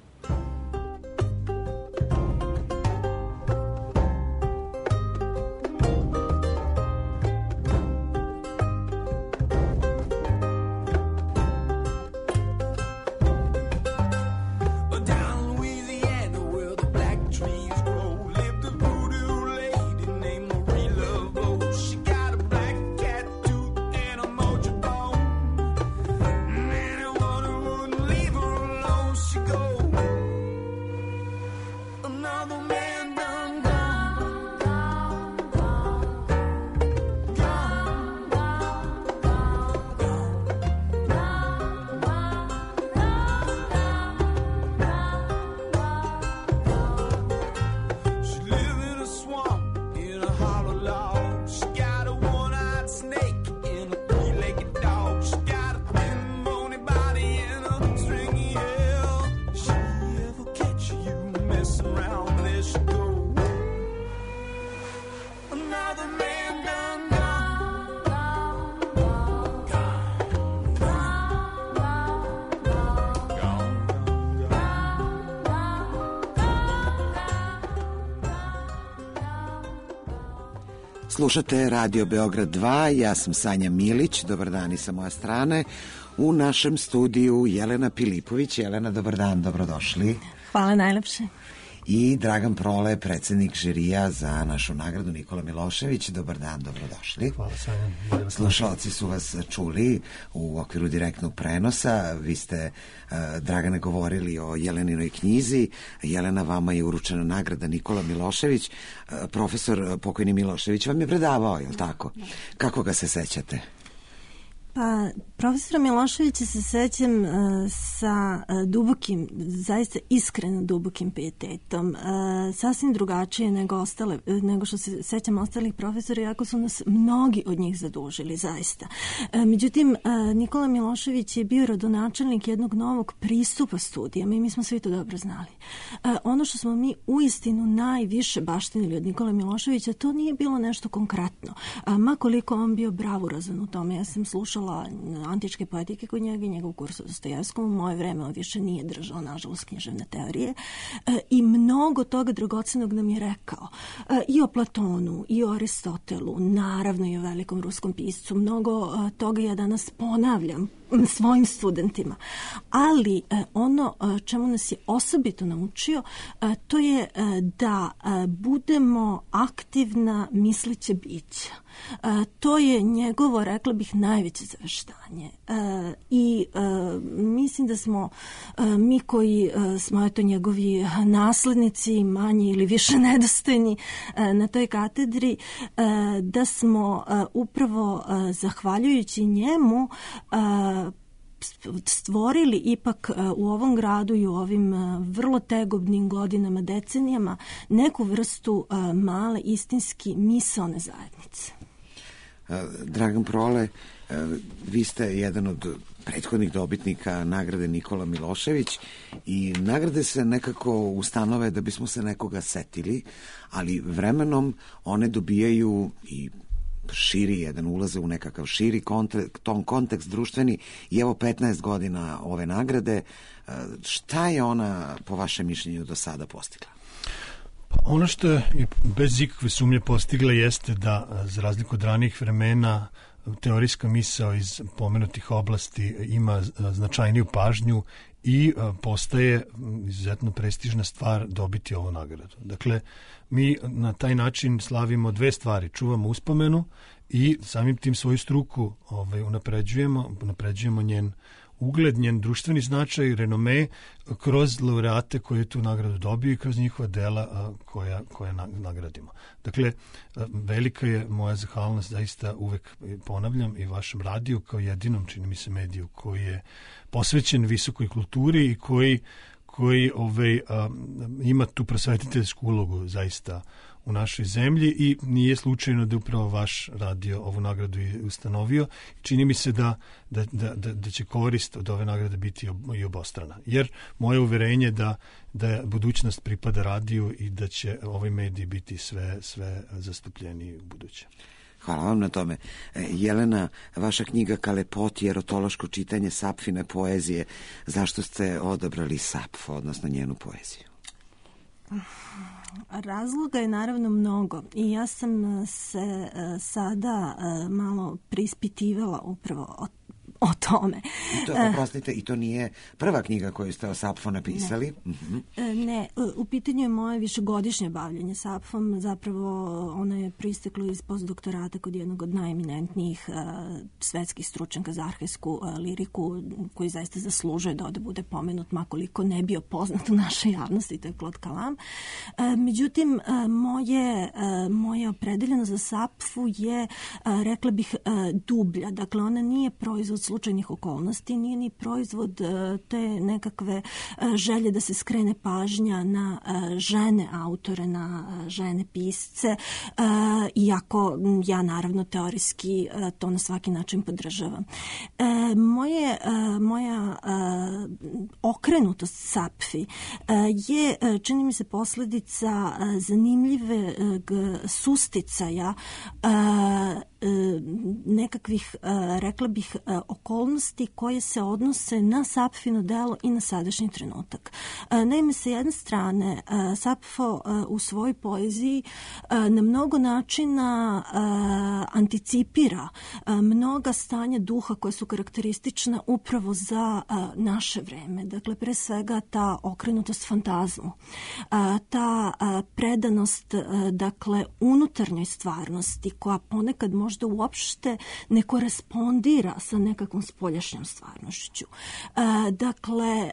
Slušate Radio Beograd 2, ja sam Sanja Milić, dobar dan i sa moje strane. U našem studiju Jelena Pilipović. Jelena, dobar dan, dobrodošli. Hvala najlepše. I Dragan Prole, predsjednik žirija za našu nagradu Nikola Milošević. Dobar dan, dobrodošli. Hvala Sanja. Slušalci su vas čuli u okviru direktnog prenosa. Vi ste, Dragane, govorili o Jeleninoj knjizi. Jelena, vama je uručena nagrada Nikola Milošević. Profesor pokojni Milošević vam je predavao, je li tako? Kako ga se sećate? Pa, profesora Miloševića se sećam sa dubokim, zaista iskreno dubokim pijetetom. Sasvim drugačije nego što se sećam ostalih profesora, iako su nas mnogi od njih zadužili, zaista. Međutim, Nikola Milošević je bio rodonačelnik jednog novog pristupa studijama i mi smo svi to dobro znali. Ono što smo mi uistinu najviše baštinili od Nikola Miloševića, to nije bilo nešto konkretno. Ma koliko on bio bravurozan u tome. Ja sam slušala antičke poetike kod njega i njegov kurs o Dostojevskom. U moje vreme on više nije držao, nažalost, književne teorije. I mnogo toga dragocenog nam je rekao. I o Platonu, i o Aristotelu, naravno i o velikom ruskom piscu. Mnogo toga ja danas ponavljam svojim studentima. Ali ono čemu nas je osobito naučio, to je da budemo aktivna misleća bića. To je njegovo, rekla bih, najveće zaveštanje. I mislim da smo mi koji smo eto njegovi naslednici, manje ili više nedostojni na toj katedri, da smo upravo zahvaljujući njemu stvorili ipak u ovom gradu i u ovim vrlo tegobnim godinama, decenijama, neku vrstu male istinski misaone zajednice. Dragan Prole, vi ste jedan od prethodnih dobitnika nagrade Nikola Milošević i nagrade se nekako ustanove da bismo se nekoga setili, ali vremenom one dobijaju i širi jedan, ulaze u nekakav širi kontekst društveni i evo 15 godina ove nagrade. Šta je ona po vašem mišljenju do sada postigla? Ono što je bez ikakve sumnje postigla jeste da, za razliku od ranijih vremena, teorijska misao iz pomenutih oblasti ima značajniju pažnju i postaje izuzetno prestižna stvar dobiti ovu nagradu. Dakle, mi na taj način slavimo dve stvari. Čuvamo uspomenu i samim tim svoju struku unapređujemo njen ugled, njen društveni značaj, renome kroz laureate koji tu nagradu dobiju i kroz njihova dela koja nagradimo. Dakle, velika je moja zahvalnost, zaista uvek ponavljam, i vašem radiju kao jedinom, čini mi se, mediju koji je posvećen visokoj kulturi i koji ima tu prosvetiteljsku ulogu zaista u našoj zemlji i nije slučajno da upravo vaš radio ovu nagradu i ustanovio. Čini mi se da će korist od ove nagrade biti i obostrana. Jer moje uverenje da budućnost pripada radiju i da će ovaj mediji biti sve zastupljeniji u buduće. Hvala vam na tome. Jelena, vaša knjiga Kalepoti, erotološko čitanje Sapfine poezije. Zašto ste odabrali Sapfo, odnosno njenu poeziju? Razloga je naravno mnogo i ja sam se sada malo preispitivala upravo o tome. Oprostite, i to nije prva knjiga koju ste o Sapfo napisali? Ne, u pitanju je moje višegodišnje bavljanje Sapfom. Zapravo ono je proisteklo iz postdoktorata kod jednog od najeminentnijih svetskih stručnjaka za arhajsku liriku, koji zaista zaslužuje da ovde bude pomenut, makoliko ne bio poznat u našoj javnosti, to je Claude Calam. Međutim, moja opredeljenost za Sapfu je, rekla bih, dublja. Dakle, ona nije proizvod slučajnih okolnosti, nije ni proizvod te nekakve želje da se skrene pažnja na žene autore, na žene pisce, iako ja naravno teorijski to na svaki način podržavam. Moja okrenutost Sapfi je, čini mi se, posledica zanimljivog susticaja nekakvih, rekla bih, okolnosti koje se odnose na Sapfino delo i na sadašnji trenutak. Naime, sa jedne strane, Sapfo u svojoj poeziji na mnogo načina anticipira mnoga stanja duha koja su karakteristična upravo za naše vreme. Dakle, pre svega ta okrenutost fantazmu, ta predanost, dakle, unutarnjoj stvarnosti koja ponekad možda uopšte ne korespondira sa nekakvom spoljašnjom stvarnošću. Dakle,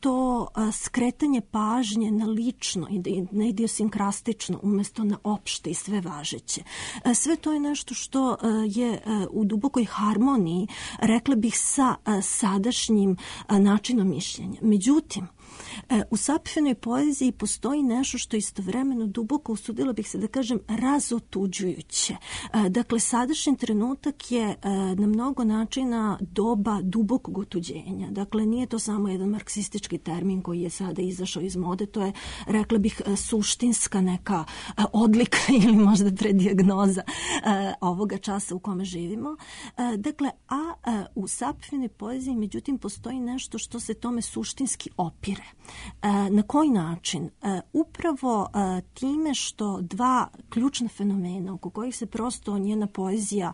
to skretanje pažnje na lično i na idiosinkrastično umesto na opšte i sve važeće. Sve to je nešto što je u dubokoj harmoniji, rekla bih, sa sadašnjim načinom mišljenja. Međutim, u Sapfinoj poeziji postoji nešto što istovremeno duboko, usudila bih se da kažem, razotuđujuće. Dakle, sadašnji trenutak je na mnogo načina doba dubokog otuđenja. Dakle, nije to samo jedan marksistički termin koji je sada izašao iz mode, to je, rekla bih, suštinska neka odlika ili možda predijagnoza ovoga časa u kome živimo. Dakle, u Sapfinoj poeziji, međutim, postoji nešto što se tome suštinski opire. Na koji način? Upravo time što dva ključna fenomena oko kojih se prosto njena poezija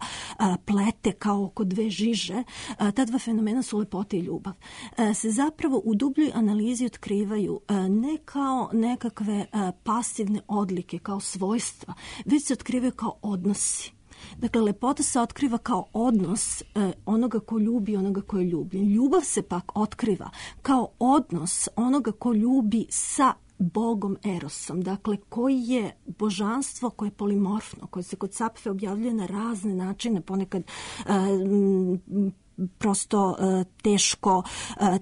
plete kao oko dve žiže, ta dva fenomena su lepota i ljubav, se zapravo u dubljoj analizi otkrivaju ne kao nekakve pasivne odlike, kao svojstva, već se otkrivaju kao odnosi. Dakle, lepota se otkriva kao odnos onoga ko ljubi i onoga ko je ljubljen. Ljubav se pak otkriva kao odnos onoga ko ljubi sa Bogom Erosom, dakle koji je božanstvo koje je polimorfno, koje se kod Sapfe objavljuje na razne načine, ponekad prosto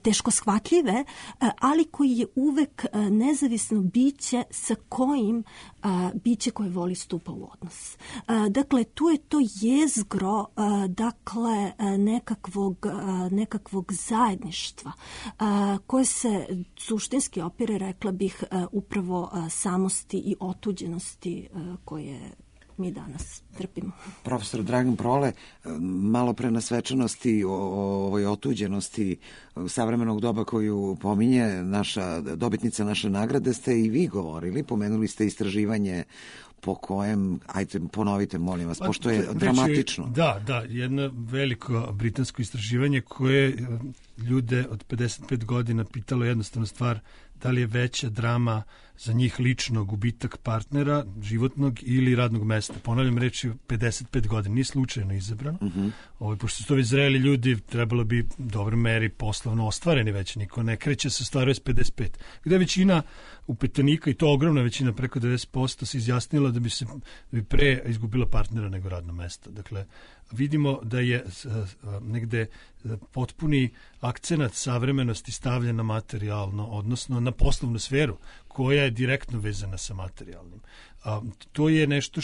teško shvatljive, ali koji je uvek nezavisno biće sa kojim biće koje voli stupa u odnos. Dakle, tu je to jezgro dakle nekakvog zajedništva koje se suštinski opire, rekla bih, upravo samosti i otuđenosti koje mi danas trpimo. Profesor Dragan Prole, malo pre na svečanosti o ovoj otuđenosti savremenog doba koju pominje naša dobitnica naše nagrade, ste i vi govorili, pomenuli ste istraživanje po kojem, ajte ponovite molim vas, pošto je dramatično. Da, jedno veliko britansko istraživanje koje ljude od 55 godina pitalo jednostavno stvar da li je veća drama za njih lično gubitak partnera, životnog ili radnog mesta. Ponavljam, reč je 55 godina, nije slučajno izabrano. Pošto su to već zreli ljudi, trebalo bi u dobroj meri poslovno ostvareni već, niko ne kreće se ostvaruje s 55. Gde većina upetanika, i to ogromna većina, preko 90%, se izjasnila da bi pre izgubila partnera nego radno mesto. Dakle, vidimo da je negde potpuni akcenat savremenosti stavljen na materijalno, odnosno na poslovnu sferu, koja je direktno vezana sa materijalnim. To je nešto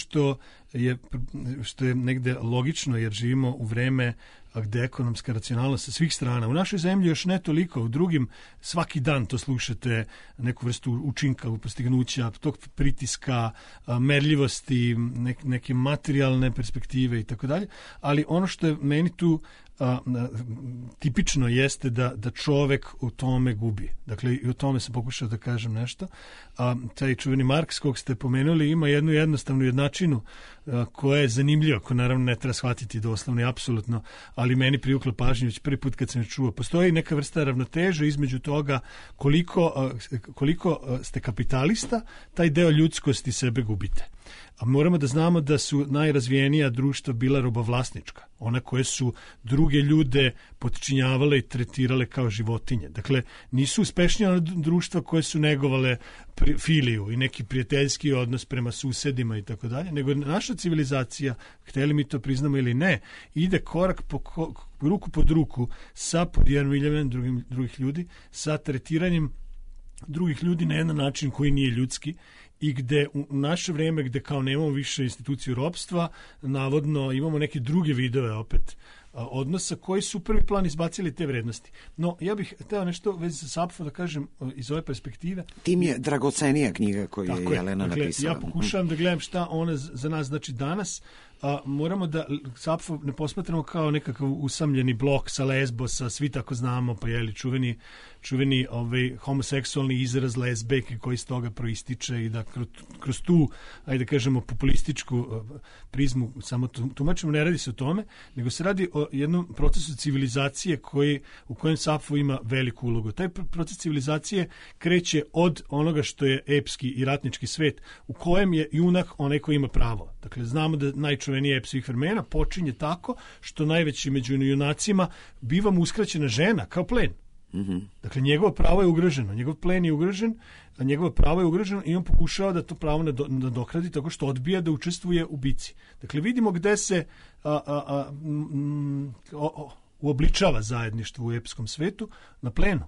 što je negde logično, jer živimo u vreme gde ekonomska racionalnost sa svih strana. U našoj zemlji još ne toliko, u drugim svaki dan to slušate, neku vrstu učinka, postignuća, tog pritiska, merljivosti, neke materijalne perspektive i tako dalje, ali ono što je meni tu tipično jeste da čovek u tome gubi. Dakle, i o tome sam pokušao da kažem nešto. Taj čuveni Marks, kog ste pomenuli, ima jednu jednostavnu jednačinu koja je zanimljiva, koja naravno ne treba shvatiti doslovno i apsolutno, ali meni privukla pažnju već prvi put kad sam je čuo. Postoji neka vrsta ravnoteže između toga koliko ste kapitalista, taj deo ljudskosti sebe gubite. A moramo da znamo da su najrazvijenija društva bila robovlasnička, ona koje su druge ljude potčinjavale i tretirale kao životinje. Dakle, nisu uspešnija ona društva koje su negovale filiju i neki prijateljski odnos prema susedima i tako dalje, nego naša civilizacija, hteli mi to priznamo ili ne, ide korak ruku pod ruku sa podjarmiljavanjem drugih ljudi, sa tretiranjem drugih ljudi na jedan način koji nije ljudski, i gde u naše vreme, gde kao nemamo više instituciju ropstva, navodno imamo neke druge vidove opet odnosa koji su u prvi plan izbacili te vrednosti. No, ja bih hteo nešto već za Sapfo da kažem iz ove perspektive. Tim je dragocenija knjiga koju je Jelena napisala. Ja pokušavam da gledam šta ona za nas znači danas. Moramo da Sapfo ne posmatramo kao nekakav usamljeni blok sa Lesbosa, svi tako znamo, pa je li čuveni homoseksualni izraz lezbejke koji iz toga proističe i da kroz tu, ajde da kažemo, populističku prizmu samo tumačimo, ne radi se o tome, nego se radi o jednom procesu civilizacije u kojem Sapfo ima veliku ulogu. Taj proces civilizacije kreće od onoga što je epski i ratnički svet, u kojem je junak onaj koji ima pravo. Dakle, znamo da najčuveniji ep svih vremena počinje tako što najveći među junacima biva mu uskraćena žena kao plen. Dakle, njegovo pravo je ugroženo, njegov plen je ugrožen, a njegovo pravo je ugroženo i on pokušava da to pravo nadokradi tako što odbija da učestvuje u bici. Dakle, vidimo gde se uobličava zajedništvo u epskom svetu, na plenu.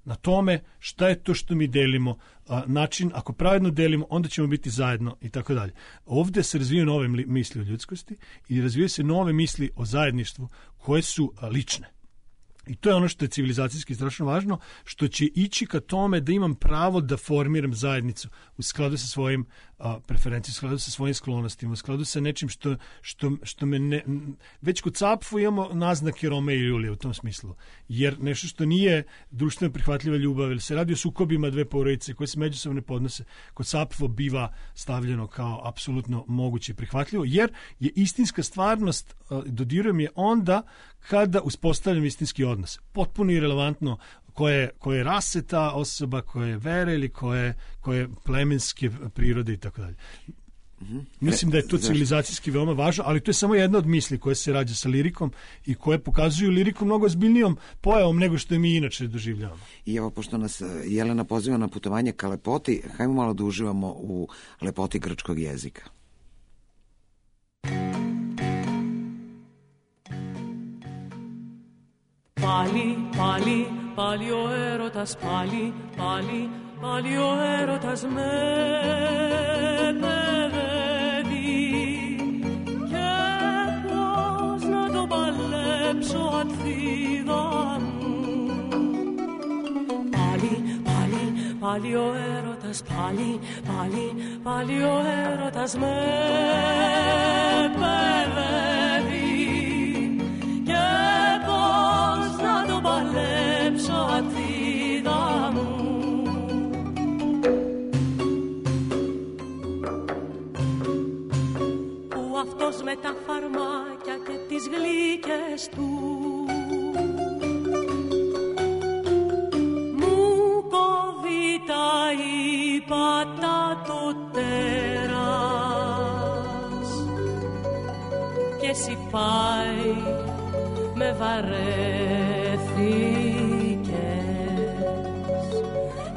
Na tome šta je to što mi delimo, način, ako pravedno delimo, onda ćemo biti zajedno i tako dalje. Ovde se razvijaju nove misli o ljudskosti i razvijaju se nove misli o zajedništvu koje su lične. I to je ono što je civilizacijski strašno važno, što će ići ka tome da imam pravo da formiram zajednicu u skladu sa svojim preferencijama, u skladu sa svojim sklonostima, u skladu sa nečim što me ne... Već kod Sapfo imamo naznake Romea i Julije u tom smislu, jer nešto što nije društveno prihvatljiva ljubav, ili se radi o sukobima dve porodice koje se međusobno ne podnose, kod Sapfo biva stavljeno kao apsolutno moguće i prihvatljivo, jer je istinska stvarnost, dodirujem je onda kada uspostavljam istinski odnos. Potpuno irelevantno koje rase ta osoba, koje vere ili koje plemenske prirode i tako dalje. Mislim da je to civilizacijski veoma važno, ali to je samo jedna od misli koje se rađa sa lirikom i koje pokazuju liriku mnogo ozbiljnijom pojavom nego što je mi inače doživljavamo. I evo, pošto nas Jelena poziva na putovanje ka lepoti, hajmo malo da uživamo u lepoti grčkog jezika. Πάλι ο έρωτας, πάλι ο έρωτας με παιδεύει και πώς να το παλέψω Αθήδα μου. Πάλι ο έρωτας, πάλι ο έρωτας με παιδεύει και πώς να το παλέψω Αθήδα μου. Που αυτός με τα φαρμάκια και τις γλύκες του μου κόβει τα ύπατα το τέρας και εσύ πάει με βαρέθηκες,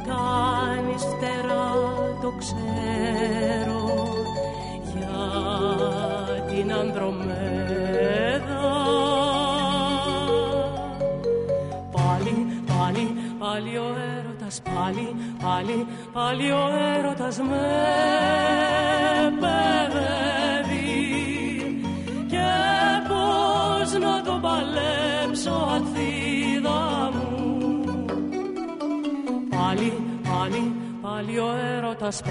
κάνεις φτερά το ξέρω για την Ανδρομέδα. Πάλι ο έρωτας, πάλι ο έρωτας με παιδεύει και πώς να το παλέψω Αθήδα μου. Πάλι ο έρωτας,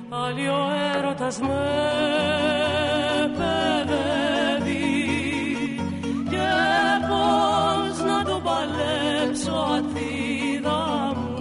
πάλι ο έρωτας με παιδεύει και πώς να το παλέψω Αθήδα μου.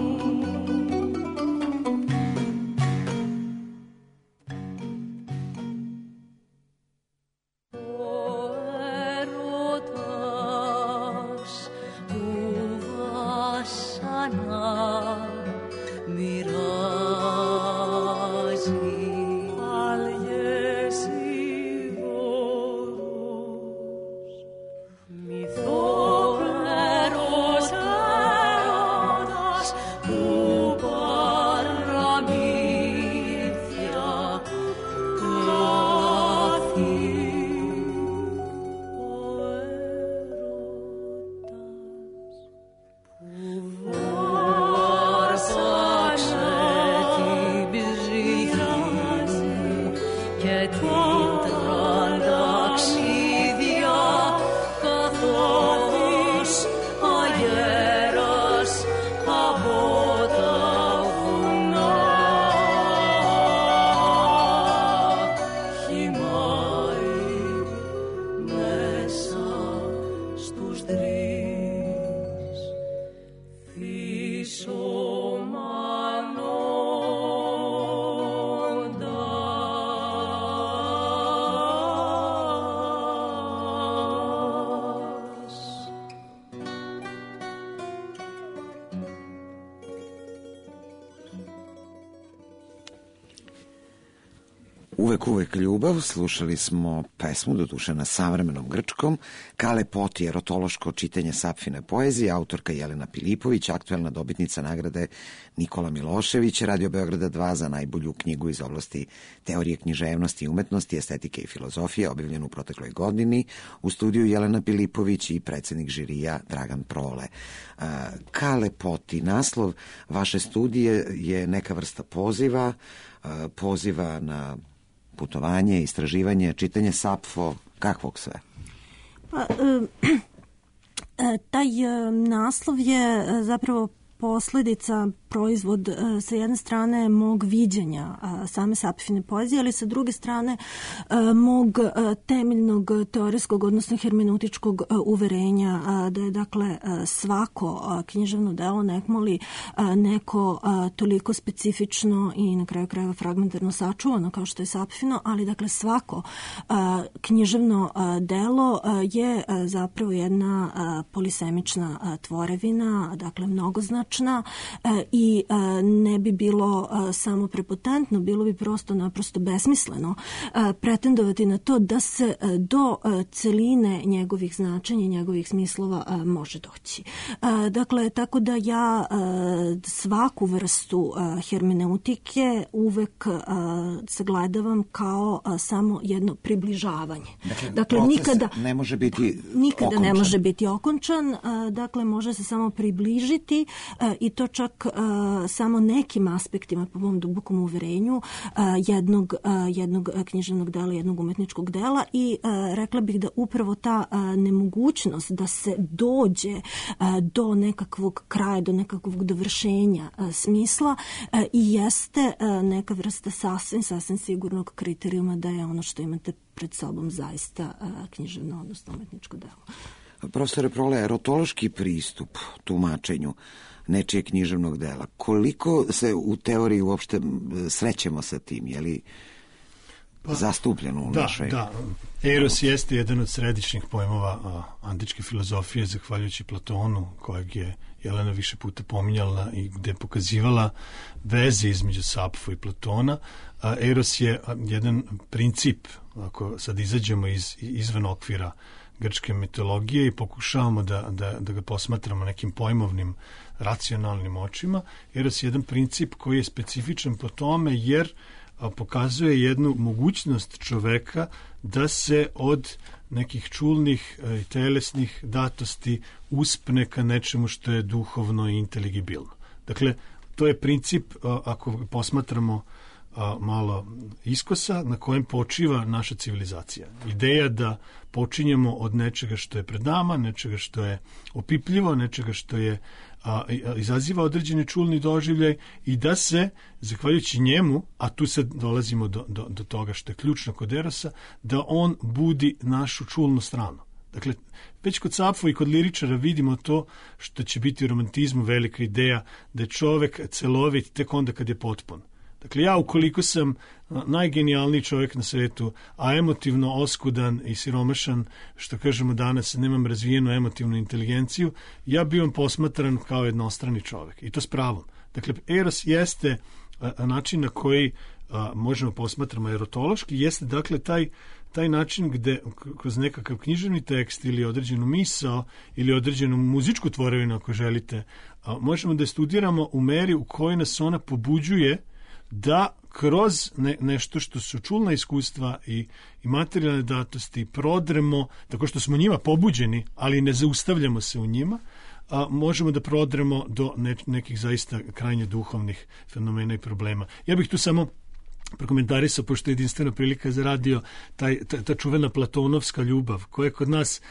Uvek ljubav, slušali smo pesmu, doduše na savremenom grčkom, ka lepoti, erotološko čitanje Sapfine poezije, autorka Jelena Pilipović, aktuelna dobitnica nagrade Nikola Milošević, Radio Beograda 2 za najbolju knjigu iz oblasti teorije književnosti i umetnosti, estetike i filozofije, objavljenu u protekloj godini, u studiju Jelena Pilipović i predsednik žirija Dragan Prole. Ka lepoti, naslov vaše studije je neka vrsta poziva na putovanje, istraživanje, čitanje Sapfo, kakvog sve? Taj naslov je zapravo posledica, proizvod sa jedne strane mog viđenja same Sapfine poezije, ali sa druge strane mog temeljnog teorijskog, odnosno hermeneutičkog uverenja da je dakle svako književno delo nekmoli neko toliko specifično i na kraju krajeva fragmentarno sačuvano kao što je Sapfino, ali dakle svako književno delo je zapravo jedna polisemična tvorevina, dakle mnogoznačna i ne bi bilo samo prepotentno, bilo bi naprosto besmisleno pretendovati na to da se do celine njegovih značenja i njegovih smislova može doći. Dakle, tako da ja svaku vrstu hermeneutike uvek sagledavam kao samo jedno približavanje. Dakle nikada ne može biti okončan. Ne može biti okončan, dakle može se samo približiti i to čak samo nekim aspektima, po mom dubokom uverenju, jednog književnog dela, jednog umetničkog dela i rekla bih da upravo ta nemogućnost da se dođe do nekakvog kraja, do nekakvog dovršenja smisla i jeste neka vrsta sasvim sigurnog kriterijuma da je ono što imate pred sobom zaista književno, odnosno umetničko delo. Profesore Prole, erotološki pristup tumačenju nečije književnog dela, koliko se u teoriji uopšte srećemo sa tim, je li zastupljeno u našoj... Da, eros jeste jedan od središnjih pojmova antičke filozofije, zahvaljujući Platonu, kojeg je Jelena više puta pominjala i gde je pokazivala veze između Sapfo i Platona. Eros je jedan princip, ako sad izađemo izvan okvira grčke mitologije i pokušavamo da ga posmatramo nekim pojmovnim racionalnim očima. Eros je jedan princip koji je specifičan po tome jer pokazuje jednu mogućnost čoveka da se od nekih čulnih i telesnih datosti uspne ka nečemu što je duhovno i inteligibilno. Dakle, to je princip, ako posmatramo malo iskosa, na kojem počiva naša civilizacija. Ideja da počinjemo od nečega što je pred nama, nečega što je opipljivo, nečega što je izaziva određeni čulni doživljaj i da se, zahvaljujući njemu, a tu sad dolazimo do toga što je ključno kod Erosa, da on budi našu čulnu stranu. Dakle, već kod Sapfo i kod liričara vidimo to što će biti u romantizmu velika ideja da je čovek celovit tek onda kad je potpun. Dakle, ja ukoliko sam najgenijalniji čovjek na svetu, a emotivno oskudan i siromašan, što kažemo danas, nemam razvijenu emotivnu inteligenciju, ja bivam posmatran kao jednostrani čovjek. I to s pravom. Dakle, eros jeste način na koji možemo posmatramo erotološki, jeste dakle taj način gde kroz nekakav književni tekst ili određenu misao ili određenu muzičku tvorevinu, ako želite, možemo da je studiramo u meri u kojoj nas ona pobuđuje da kroz nešto što su čulna iskustva i materijalne datosti prodremo, tako što smo njima pobuđeni, ali ne zaustavljamo se u njima, možemo da prodremo do nekih zaista krajnje duhovnih fenomena i problema. Ja bih tu samo prokomentarisao, pošto je jedinstvena prilika za radio, ta čuvena platonovska ljubav, koja je kod nas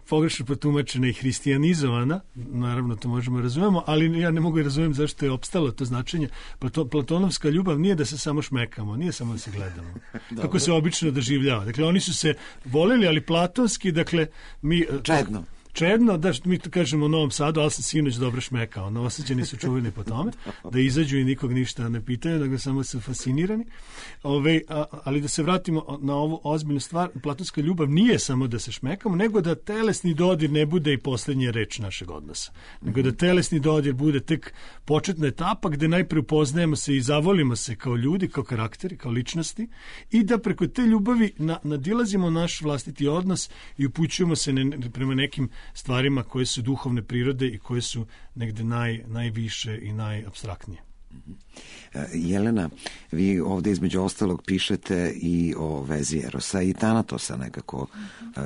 pogrešno protumačena i hristijanizovana, naravno to možemo razumemo, ali ja ne mogu razumjeti zašto je opstalo to značenje. Platonovska ljubav nije da se samo šmekamo, nije samo da se gledamo, kako se obično doživljava. Dakle, oni su se voleli, ali platonski, dakle, mi... Čedno, da mi kažemo u Novom Sadu, ali sam sinoć dobro šmekao. Novosađani su čuveni po tome, da izađu i nikog ništa ne pitaju, da ga samo su fascinirani. Ali da se vratimo na ovu ozbiljnu stvar, platonska ljubav nije samo da se šmekamo, nego da telesni dodir ne bude i posljednja reč našeg odnosa. Nego da telesni dodir bude tek početna etapa gde najpre upoznajemo se i zavolimo se kao ljudi, kao karakteri, kao ličnosti i da preko te ljubavi nadilazimo naš vlastiti odnos i upućujemo se prema nekim stvarima koje su duhovne prirode i koje su negde najviše i najapstraktnije. Jelena, vi ovde između ostalog pišete i o vezi Erosa i Tanatosa, nekako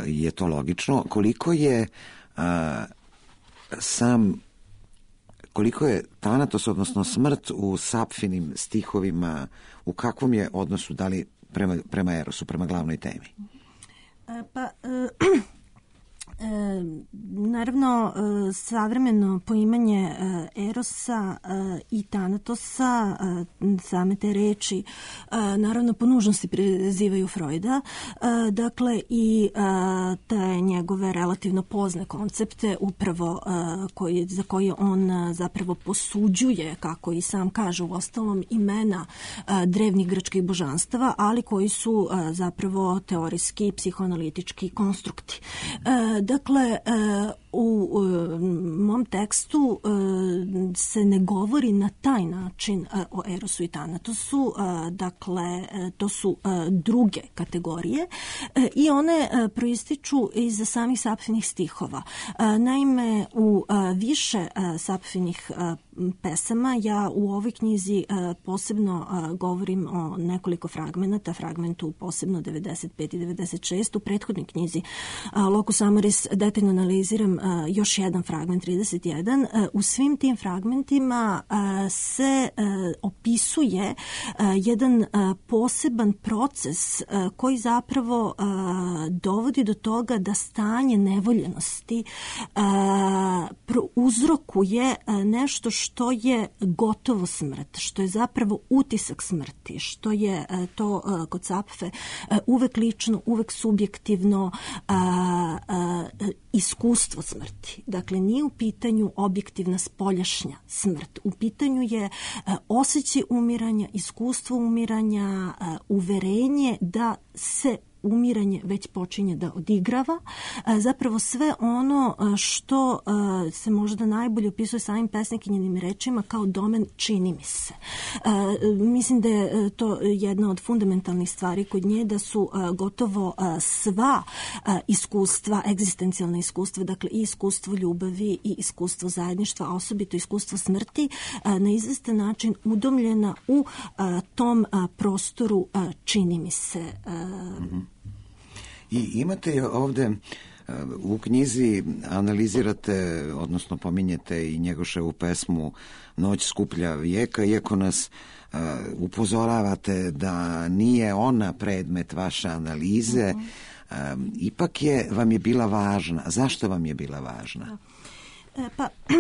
je to logično. Koliko je Tanatos, odnosno smrt u Sapfinim stihovima, u kakvom je odnosu, da li prema Erosu, prema glavnoj temi? Naravno, savremeno poimanje Erosa i Tanatosa, same te reči, naravno po nužnosti prizivaju Freuda, dakle i te njegove relativno pozne koncepte upravo za koje on zapravo posuđuje, kako i sam kaže u ostalom, imena drevnih grčkih božanstava, ali koji su zapravo teorijski, psihoanalitički konstrukti. Dakle, u mom tekstu se ne govori na taj način o Erosu i Tanatosu, dakle, to su druge kategorije i one proističu iz samih Sapfinih stihova. Naime, u više Sapfinih pesama ja u ovoj knjizi posebno govorim o nekoliko fragmenata, fragmentu posebno 95 i 96, u prethodnoj knjizi Locus Amoris detaljno analiziram još jedan fragment 31. U svim tim fragmentima se opisuje jedan poseban proces koji zapravo dovodi do toga da stanje nevoljenosti uzrokuje nešto što je gotovo smrt, što je zapravo utisak smrti, što je to kod Sapfe uvek lično, uvek subjektivno iskustvo smrti. Dakle, nije u pitanju objektivna spoljašnja smrt. U pitanju je osjećaj umiranja, iskustvo umiranja, uverenje da se umiranje već počinje da odigrava. Zapravo sve ono što se možda najbolje opisuje samim pesnikinjenim rečima kao domen čini mi se. Mislim da je to jedna od fundamentalnih stvari kod nje, da su gotovo sva iskustva, egzistencijalna iskustva, dakle i iskustvo ljubavi i iskustvo zajedništva, a osobito iskustvo smrti, na izvestan način udomljena u tom prostoru čini mi se. I imate ovde u knjizi, analizirate, odnosno pominjete i Njegoševu pesmu Noć skuplja vijeka, iako nas upozoravate da nije ona predmet vaše analize, ipak vam je bila važna. Zašto vam je bila važna?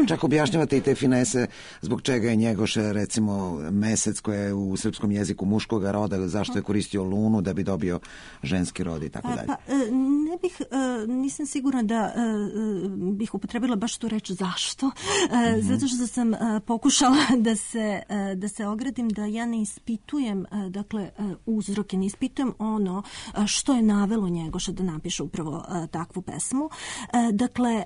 Čak objašnjavate i te finese zbog čega je Njegoše, recimo, mesec koji je u srpskom jeziku muškoga roda, ili zašto je koristio lunu da bi dobio ženski rod i tako dalje. Nisam sigurna da bih upotrebila baš tu reč zašto, zato što sam pokušala da se ogradim da ja ne ispitujem, dakle, uzroke, ne ispitujem ono što je navelo Njegoša da napiše upravo takvu pesmu. Dakle,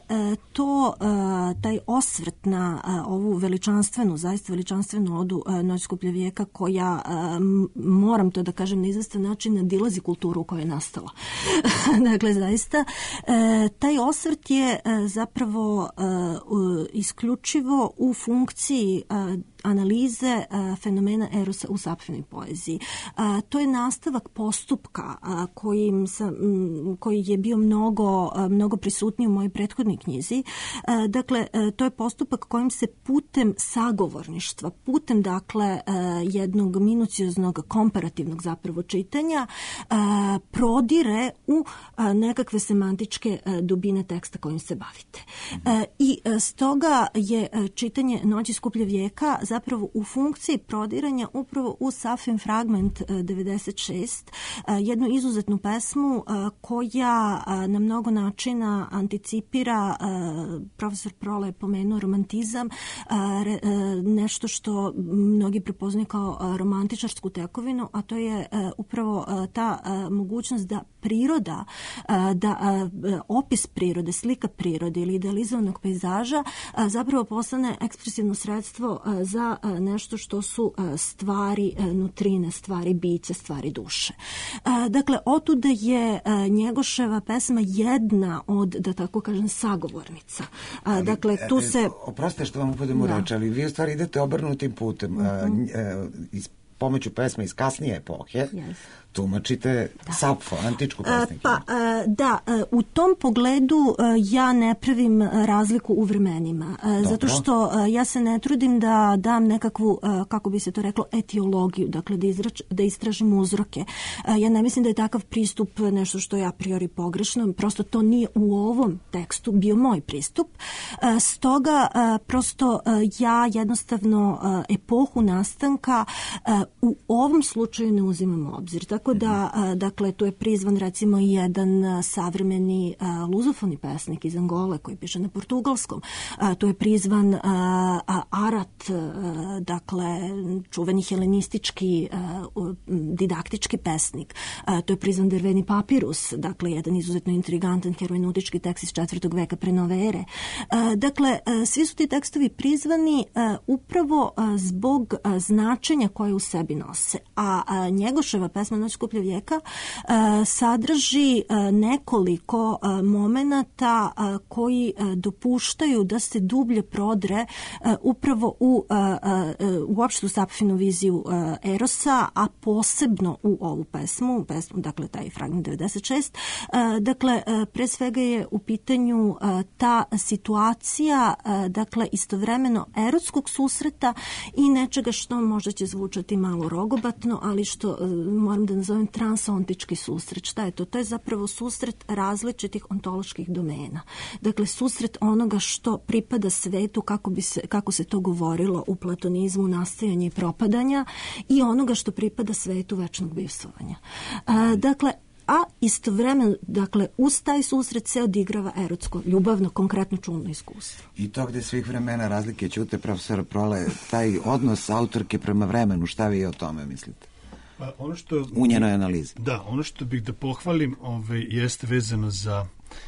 taj osvrt na ovu veličanstvenu, zaista veličanstvenu odu Noć skuplja vijeka, koja, moram to da kažem, na izvestan način nadilazi kulturu u kojoj je nastala. Dakle, zaista, taj osvrt je zapravo isključivo u funkciji analize fenomena Erosa u Sapfinoj poeziji. To je nastavak postupka koji je bio mnogo prisutniji u mojoj prethodnoj knjizi. Dakle, to je postupak kojim se putem sagovorništva, putem, dakle, jednog minucioznog komparativnog zapravo čitanja prodire u nekakve semantičke dubine teksta kojim se bavite. I stoga je čitanje Noći skuplja vijeka zapravo u funkciji prodiranja upravo u Sapfin fragment 96, jednu izuzetnu pesmu koja na mnogo načina anticipira, profesor Prole je pomenuo romantizam, nešto što mnogi prepoznaju kao romantičarsku tekovinu, a to je upravo ta mogućnost da priroda, da opis prirode, slika prirode ili idealizovanog pejzaža zapravo postane ekspresivno sredstvo za nešto što su stvari nutrine, stvari bića, stvari duše. Dakle, otuda je Njegoševa pesma jedna od, da tako kažem, sagovornica. Dakle, tu se... Oprostite što vam upadem u reč, ali vi u stvari idete obrnutim putem. pomoću pesme iz kasnije epohe tumačite Sapfo, antičku pesnikinju. U tom pogledu ja ne pravim razliku u vremenima. Zato što ja se ne trudim da dam nekakvu, kako bi se to reklo, etiologiju, dakle da istražim uzroke. Ja ne mislim da je takav pristup nešto što je a priori pogrešno, prosto to nije u ovom tekstu bio moj pristup. Stoga prosto ja jednostavno epohu nastanka u ovom slučaju ne uzimam u obzir. Tako da, dakle, tu je prizvan recimo i jedan savremeni luzofoni pesnik iz Angole koji piše na portugalskom. Tu je prizvan Arat, dakle, čuveni helenistički didaktički pesnik. Tu je prizvan Derveni papirus, dakle, jedan izuzetno intrigantan herojnutički tekst iz 4. veka pre nove ere. Dakle, svi su ti tekstovi prizvani upravo zbog značenja koje u sebi nose. A Njegoševa pesma Noć skuplja vijeka sadrži nekoliko momenata koji dopuštaju da se dublje prodre upravo u uopšte u Sapfinu viziju Erosa, a posebno u ovu pesmu, dakle taj fragment 96. Dakle, pre svega je u pitanju ta situacija, dakle, istovremeno erotskog susreta i nečega što možda će zvučati malo rogobatno, ali što moram da nazovem transontički susret. Šta je to? To je zapravo susret različitih ontoloških domena. Dakle, susret onoga što pripada svetu, kako se to govorilo u platonizmu, nastajanja i propadanja, i onoga što pripada svetu večnog bivstvovanja. Dakle, a istovremeno, dakle, uz taj susret se odigrava erotsko, ljubavno, konkretno čulno iskustvo. I to gde svih vremena razlike ćute, profesor Prole, taj odnos autorke prema vremenu, šta vi o tome mislite? Pa ono što, u njenoj analizi. Da, ono što bih da pohvalim jeste vezano za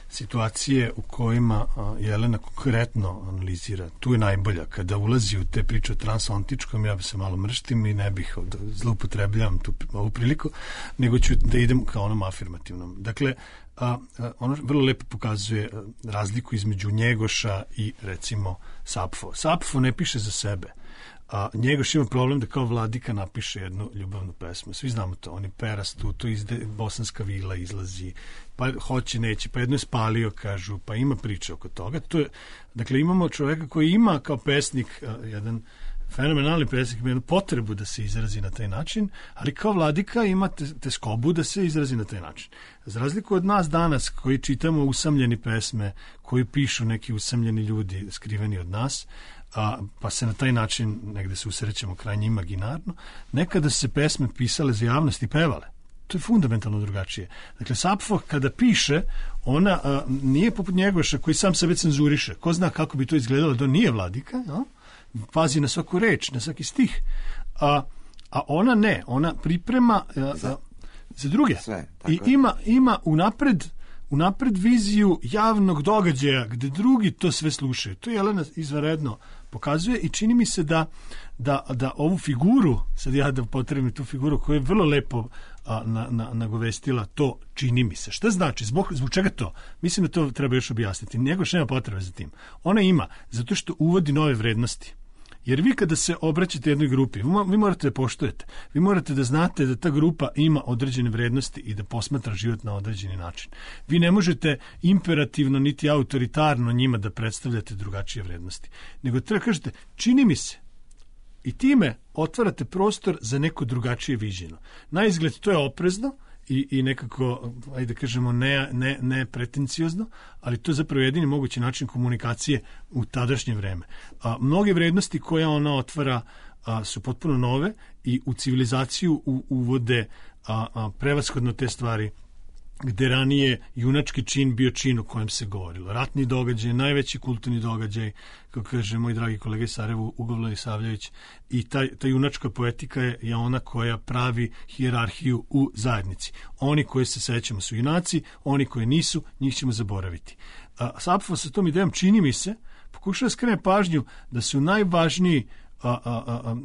situacije u kojima Jelena konkretno analizira. Tu je najbolja. Kada ulazi u te priče o transontičkom, ja bi se malo mrštim i ne bih zloupotrebljam ovu priliku, nego ću da idem ka onom afirmativnom. Dakle, ono vrlo lepo pokazuje razliku između Njegoša i, recimo, Sapfo. Sapfo ne piše za sebe. Njegoš ima problem da kao vladika napiše jednu ljubavnu pesmu. Svi znamo to. On je perastu, to bosanska vila izlazi, pa hoće, neće, pa jedno je spalio, kažu, pa ima priče oko toga. Dakle, imamo čoveka koji ima kao pesnik jedan fenomenalni pesnik, ima jednu potrebu da se izrazi na taj način, ali kao vladika ima teskobu da se izrazi na taj način. Za razliku od nas danas koji čitamo usamljeni pesme, koji pišu neki usamljeni ljudi skriveni od nas, pa se na taj način negde se usrećemo krajnje imaginarno, nekada se pesme pisale za javnost i pevale. To je fundamentalno drugačije. Dakle, Sapfo kada piše, ona nije poput Njegoša koji sam sebe cenzuriše. Ko zna kako bi to izgledalo da nije vladika, pazi na svaku reč, na svaki stih. A ona ne, ona priprema za druge. Sve, i ima unapred viziju javnog događaja gde drugi to sve slušaju. To Jelena izvanredno pokazuje i čini mi se da ovu figuru, sad ja da potrebim tu figuru koja je vrlo lepo nagovestila, to čini mi se. Šta znači? Zbog čega to? Mislim da to treba još objasniti. Njegoš nema potrebe za tim. Ona ima, zato što uvodi nove vrednosti. Jer vi kada se obraćate jednoj grupi, vi morate da poštujete. Vi morate da znate da ta grupa ima određene vrednosti i da posmatra život na određeni način. Vi ne možete imperativno niti autoritarno njima da predstavljate drugačije vrednosti. Nego treba kažete, čini mi se. I time otvarate prostor za neko drugačije viđeno. Na izgled to je oprezno i nekako, ajde da kažemo, ne pretenciozno, ali to je zapravo jedini mogući način komunikacije u tadašnje vreme. Mnoge vrednosti koje ona otvara su potpuno nove i u civilizaciju uvode prevashodno te stvari gde ranije junački čin bio čin o kojem se govorilo. Ratni događaj, najveći kulturni događaj, kako kaže moj dragi kolega iz Sarajevo, Ugo Isavljević, i ta junačka poetika je ona koja pravi hijerarhiju u zajednici. Oni koji se sećamo su junaci, oni koji nisu, njih ćemo zaboraviti. Sapfo sa tom idejom, čini mi se, pokušava skrene pažnju da su najvažniji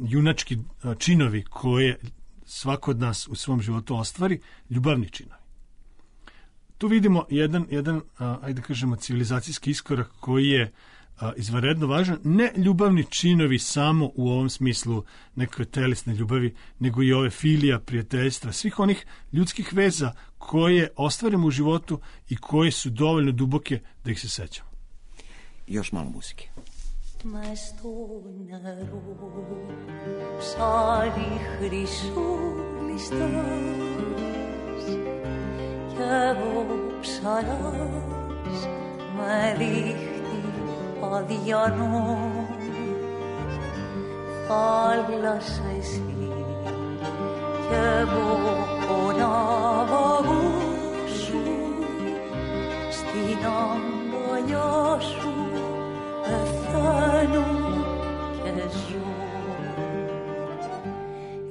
junački činovi koje svako od nas u svom životu ostvari, ljubavni činovi. Tu vidimo jedan ajde kažemo, civilizacijski iskorak koji je izvanredno važan, ne ljubavni činovi samo u ovom smislu nekakve telesne ljubavi, nego i ove filija, prijateljstva, svih onih ljudskih veza koje ostvarimo u životu i koje su dovoljno duboke da ih se sećamo. Još malo muzike. Μες στο νερό ψάρι χρυσούλιστας κι εγώ ψαράς με δίχτυ αδιανό θάλασσα εσύ κι εγώ ο ναυαγός σου στην αγκαλιά σου πεθαίνω και ζω.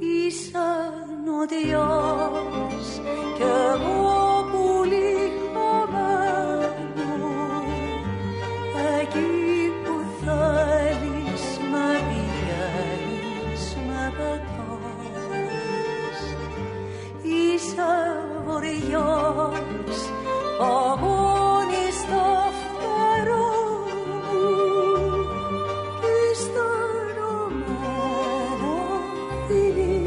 Είσαι νοτιάς κι εγώ πουλί χαμένο, εκεί που θέλεις με πηγαίνεις, με πετάς. Είσαι βοριάς, παγώνει στα φτερά μου κι σταυρωμένο φιλί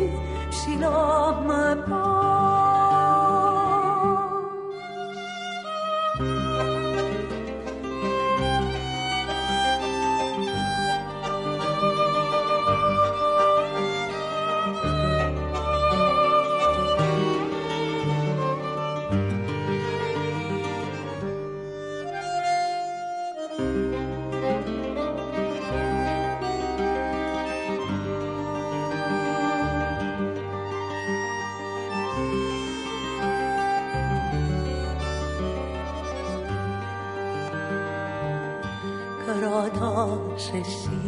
ψηλά με πας. Κρατάς εσύ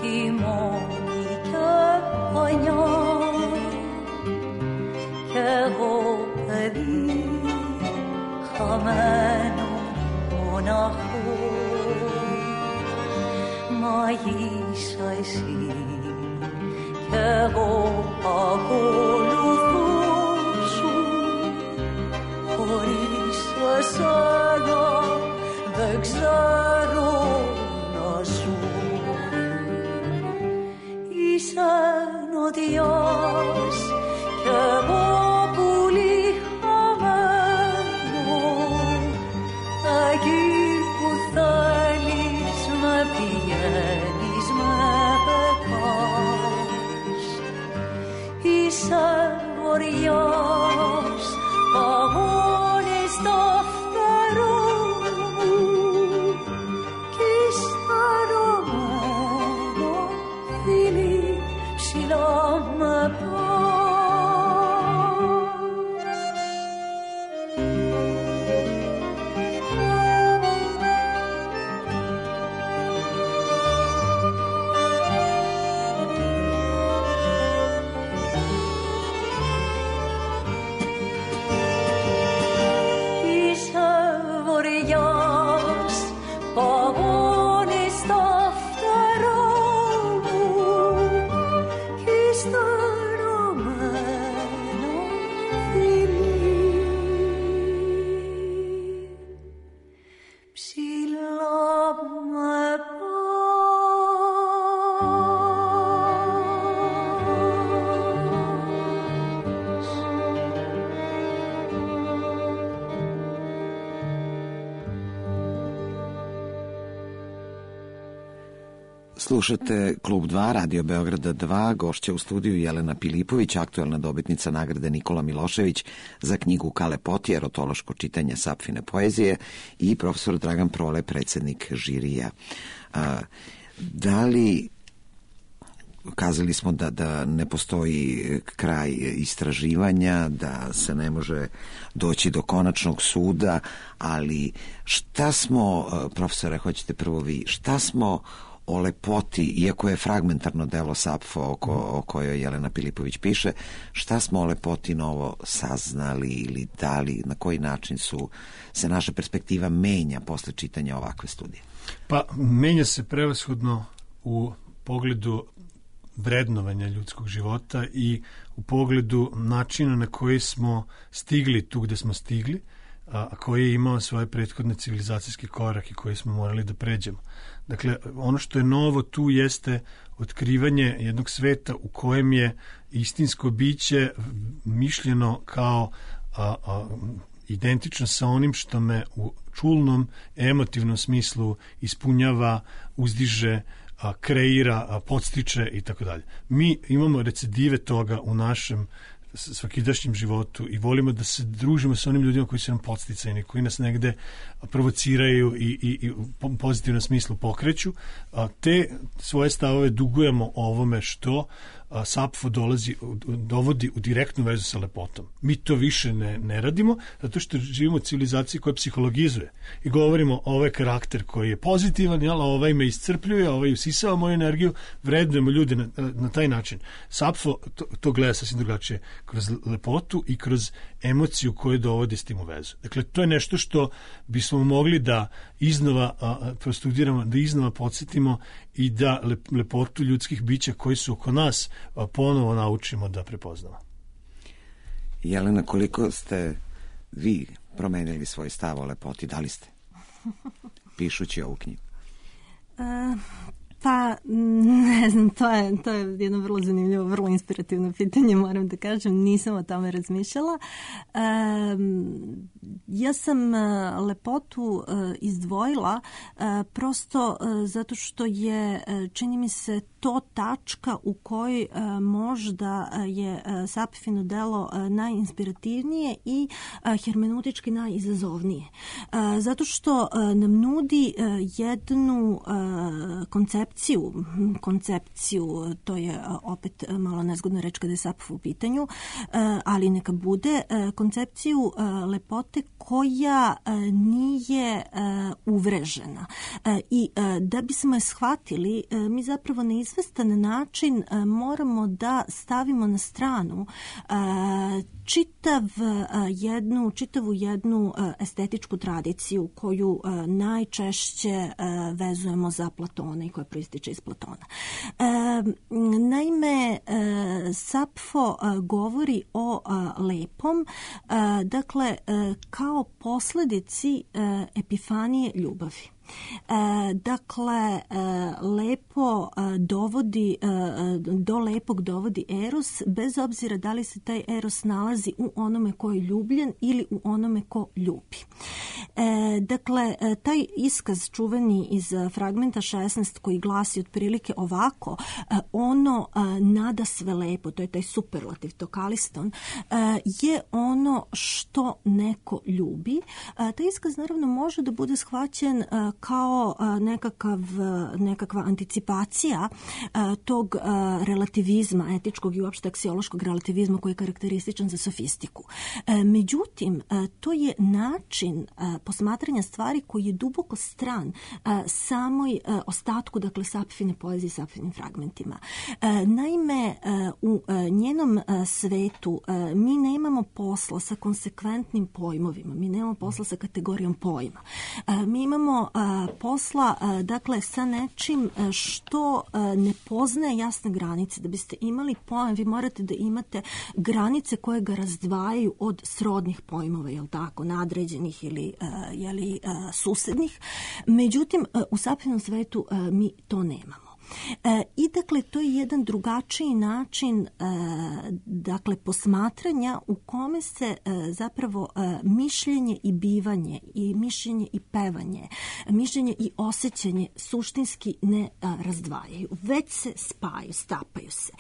τη μόνη και πανιά κι εγώ παιδί χαμένο μοναχό. Μαγείσα εσύ κι εγώ ακολουθώ σου χωρίς εσένα δεν ξέρω να ζω. Είσαι νοτιάς κι εγώ πουλί χαμένο, εκεί που θέλεις με πηγαίνεις, με πετάς. Είσαι βοριάς, παγώνεις τα φτερά μου κι σταυρωμένο φιλί ψηλά με πας. Είσαι βοριάς, παγώνεις τα φτερά μου κι σταυρωμένο φιλί ψηλά με Slušate Klub 2, Radio Beograda 2, gošća u studiju Jelena Pilipović, aktuelna dobitnica nagrade Nikola Milošević za knjigu Kale Poti, erotološko čitanje Sapfine poezije, i profesor Dragan Prole, predsednik žirija. Da li, kazali smo da ne postoji kraj istraživanja, da se ne može doći do konačnog suda, ali šta smo, profesore, hoćete prvo vi, šta smo o lepoti, iako je fragmentarno delo Sapfo o kojoj Jelena Pilipović piše, šta smo o lepoti novo saznali ili dali, na koji način se naša perspektiva menja posle čitanja ovakve studije? Pa, menja se prevashodno u pogledu vrednovanja ljudskog života i u pogledu načina na koji smo stigli tu gde smo stigli, koji je imao svoje prethodne civilizacijske korake koje smo morali da pređemo. Dakle, ono što je novo tu jeste otkrivanje jednog sveta u kojem je istinsko biće mišljeno kao identično sa onim što me u čulnom, emotivnom smislu ispunjava, uzdiže, kreira, podstiče i tako dalje. Mi imamo recidive toga u našem svakidašnjem životu i volimo da se družimo sa onim ljudima koji su nam podsticajni, koji nas negde provociraju i u pozitivnom smislu pokreću. Te svoje stavove dugujemo ovome što Sapfo dovodi u direktnu vezu sa lepotom. Mi to više ne radimo, zato što živimo u civilizaciji koja psihologizuje i govorimo ovaj karakter koji je pozitivan, jel, ovaj me iscrpljuje, ovaj usisava moju energiju, vrednujemo ljude na taj način. Sapfo to gleda sasvim drugačije, kroz lepotu i kroz emociju koju dovodi s tim u vezu. Dakle, to je nešto što bismo mogli da iznova prostudiramo, da iznova podsjetimo i da lepotu ljudskih bića koji su oko nas ponovo naučimo da prepoznamo. Jelena, koliko ste vi promenili svoj stav o lepoti? Da li ste? Pišući ovu knjigu. Pa, ne znam, to je jedno vrlo zanimljivo, vrlo inspirativno pitanje, moram da kažem, nisam o tome razmišljala. Ja sam lepotu izdvojila prosto zato što je, čini mi se, to tačka u kojoj možda je Sapfino delo najinspirativnije i hermeneutički najizazovnije. Zato što nam nudi jednu koncepciju, to je opet malo nezgodna reč kada je Sapfo u pitanju, ali neka bude, koncepciju lepote koja nije uvrežena. I da bismo je shvatili, mi zapravo na izvestan način moramo da stavimo na stranu čitavu jednu estetičku tradiciju koju najčešće vezujemo za Platona i koja proističe iz Platona. Naime, Sapfo govori o lepom, dakle, kao posledici epifanije ljubavi. Dakle, lepo dovodi, do lepog dovodi eros, bez obzira da li se taj eros nalazi u onome ko je ljubljen ili u onome ko ljubi. Dakle, taj iskaz čuveni iz fragmenta 16 koji glasi otprilike ovako, ono nada sve lepo, to je taj superlativ, to kaliston, je ono što neko ljubi. Taj iskaz naravno može da bude shvaćen kao nekakva anticipacija tog relativizma, etičkog i uopšte aksiološkog relativizma koji je karakterističan za sofistiku. Međutim, to je način posmatranja stvari koji je duboko stran samoj ostatku, dakle, Sapfine poezije, Sapfinim fragmentima. Naime, u njenom svetu mi nemamo posla sa konsekventnim pojmovima, mi nemamo posla sa kategorijom pojma. Mi imamo posla, dakle, sa nečim što ne poznaje jasne granice. Da biste imali pojam, vi morate da imate granice koje ga razdvajaju od srodnih pojmova, jel tako, nadređenih ili susednih. Međutim, u Sapfinom svetu mi to nemamo. I dakle, to je jedan drugačiji način dakle, posmatranja u kome se zapravo mišljenje i bivanje i mišljenje i pevanje, mišljenje i osjećanje suštinski ne razdvajaju, već se spajaju, stapaju se.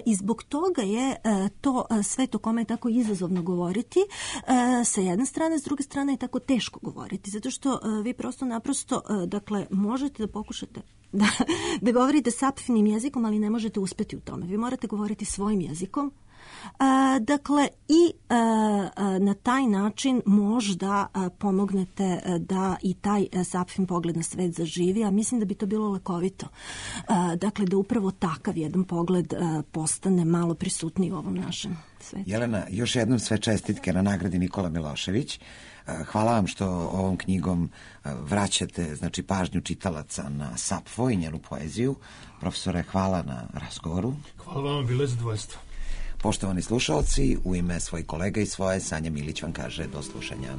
I zbog toga je to svet o kome je tako izazovno govoriti sa jedne strane, s druge strane je tako teško govoriti, zato što vi prosto naprosto, dakle, možete da pokušate da govorite Sapfinim jezikom, ali ne možete uspeti u tome. Vi morate govoriti svojim jezikom. Dakle, i na taj način možda pomognete da i taj Sapfin pogled na svet zaživi, a mislim da bi to bilo lekovito. Dakle, da upravo takav jedan pogled postane malo prisutniji u ovom našem svetu. Jelena, još jednom sve čestitke na nagradi Nikola Milošević. Hvala vam što ovom knjigom vraćate, znači, pažnju čitalaca na Sapfo i njenu poeziju. Profesore, hvala na razgovoru. Hvala vam, bilo je zadovoljstvo. Poštovani slušalci, u ime svojih kolega i svoje, Sanja Milić vam kaže do slušanja.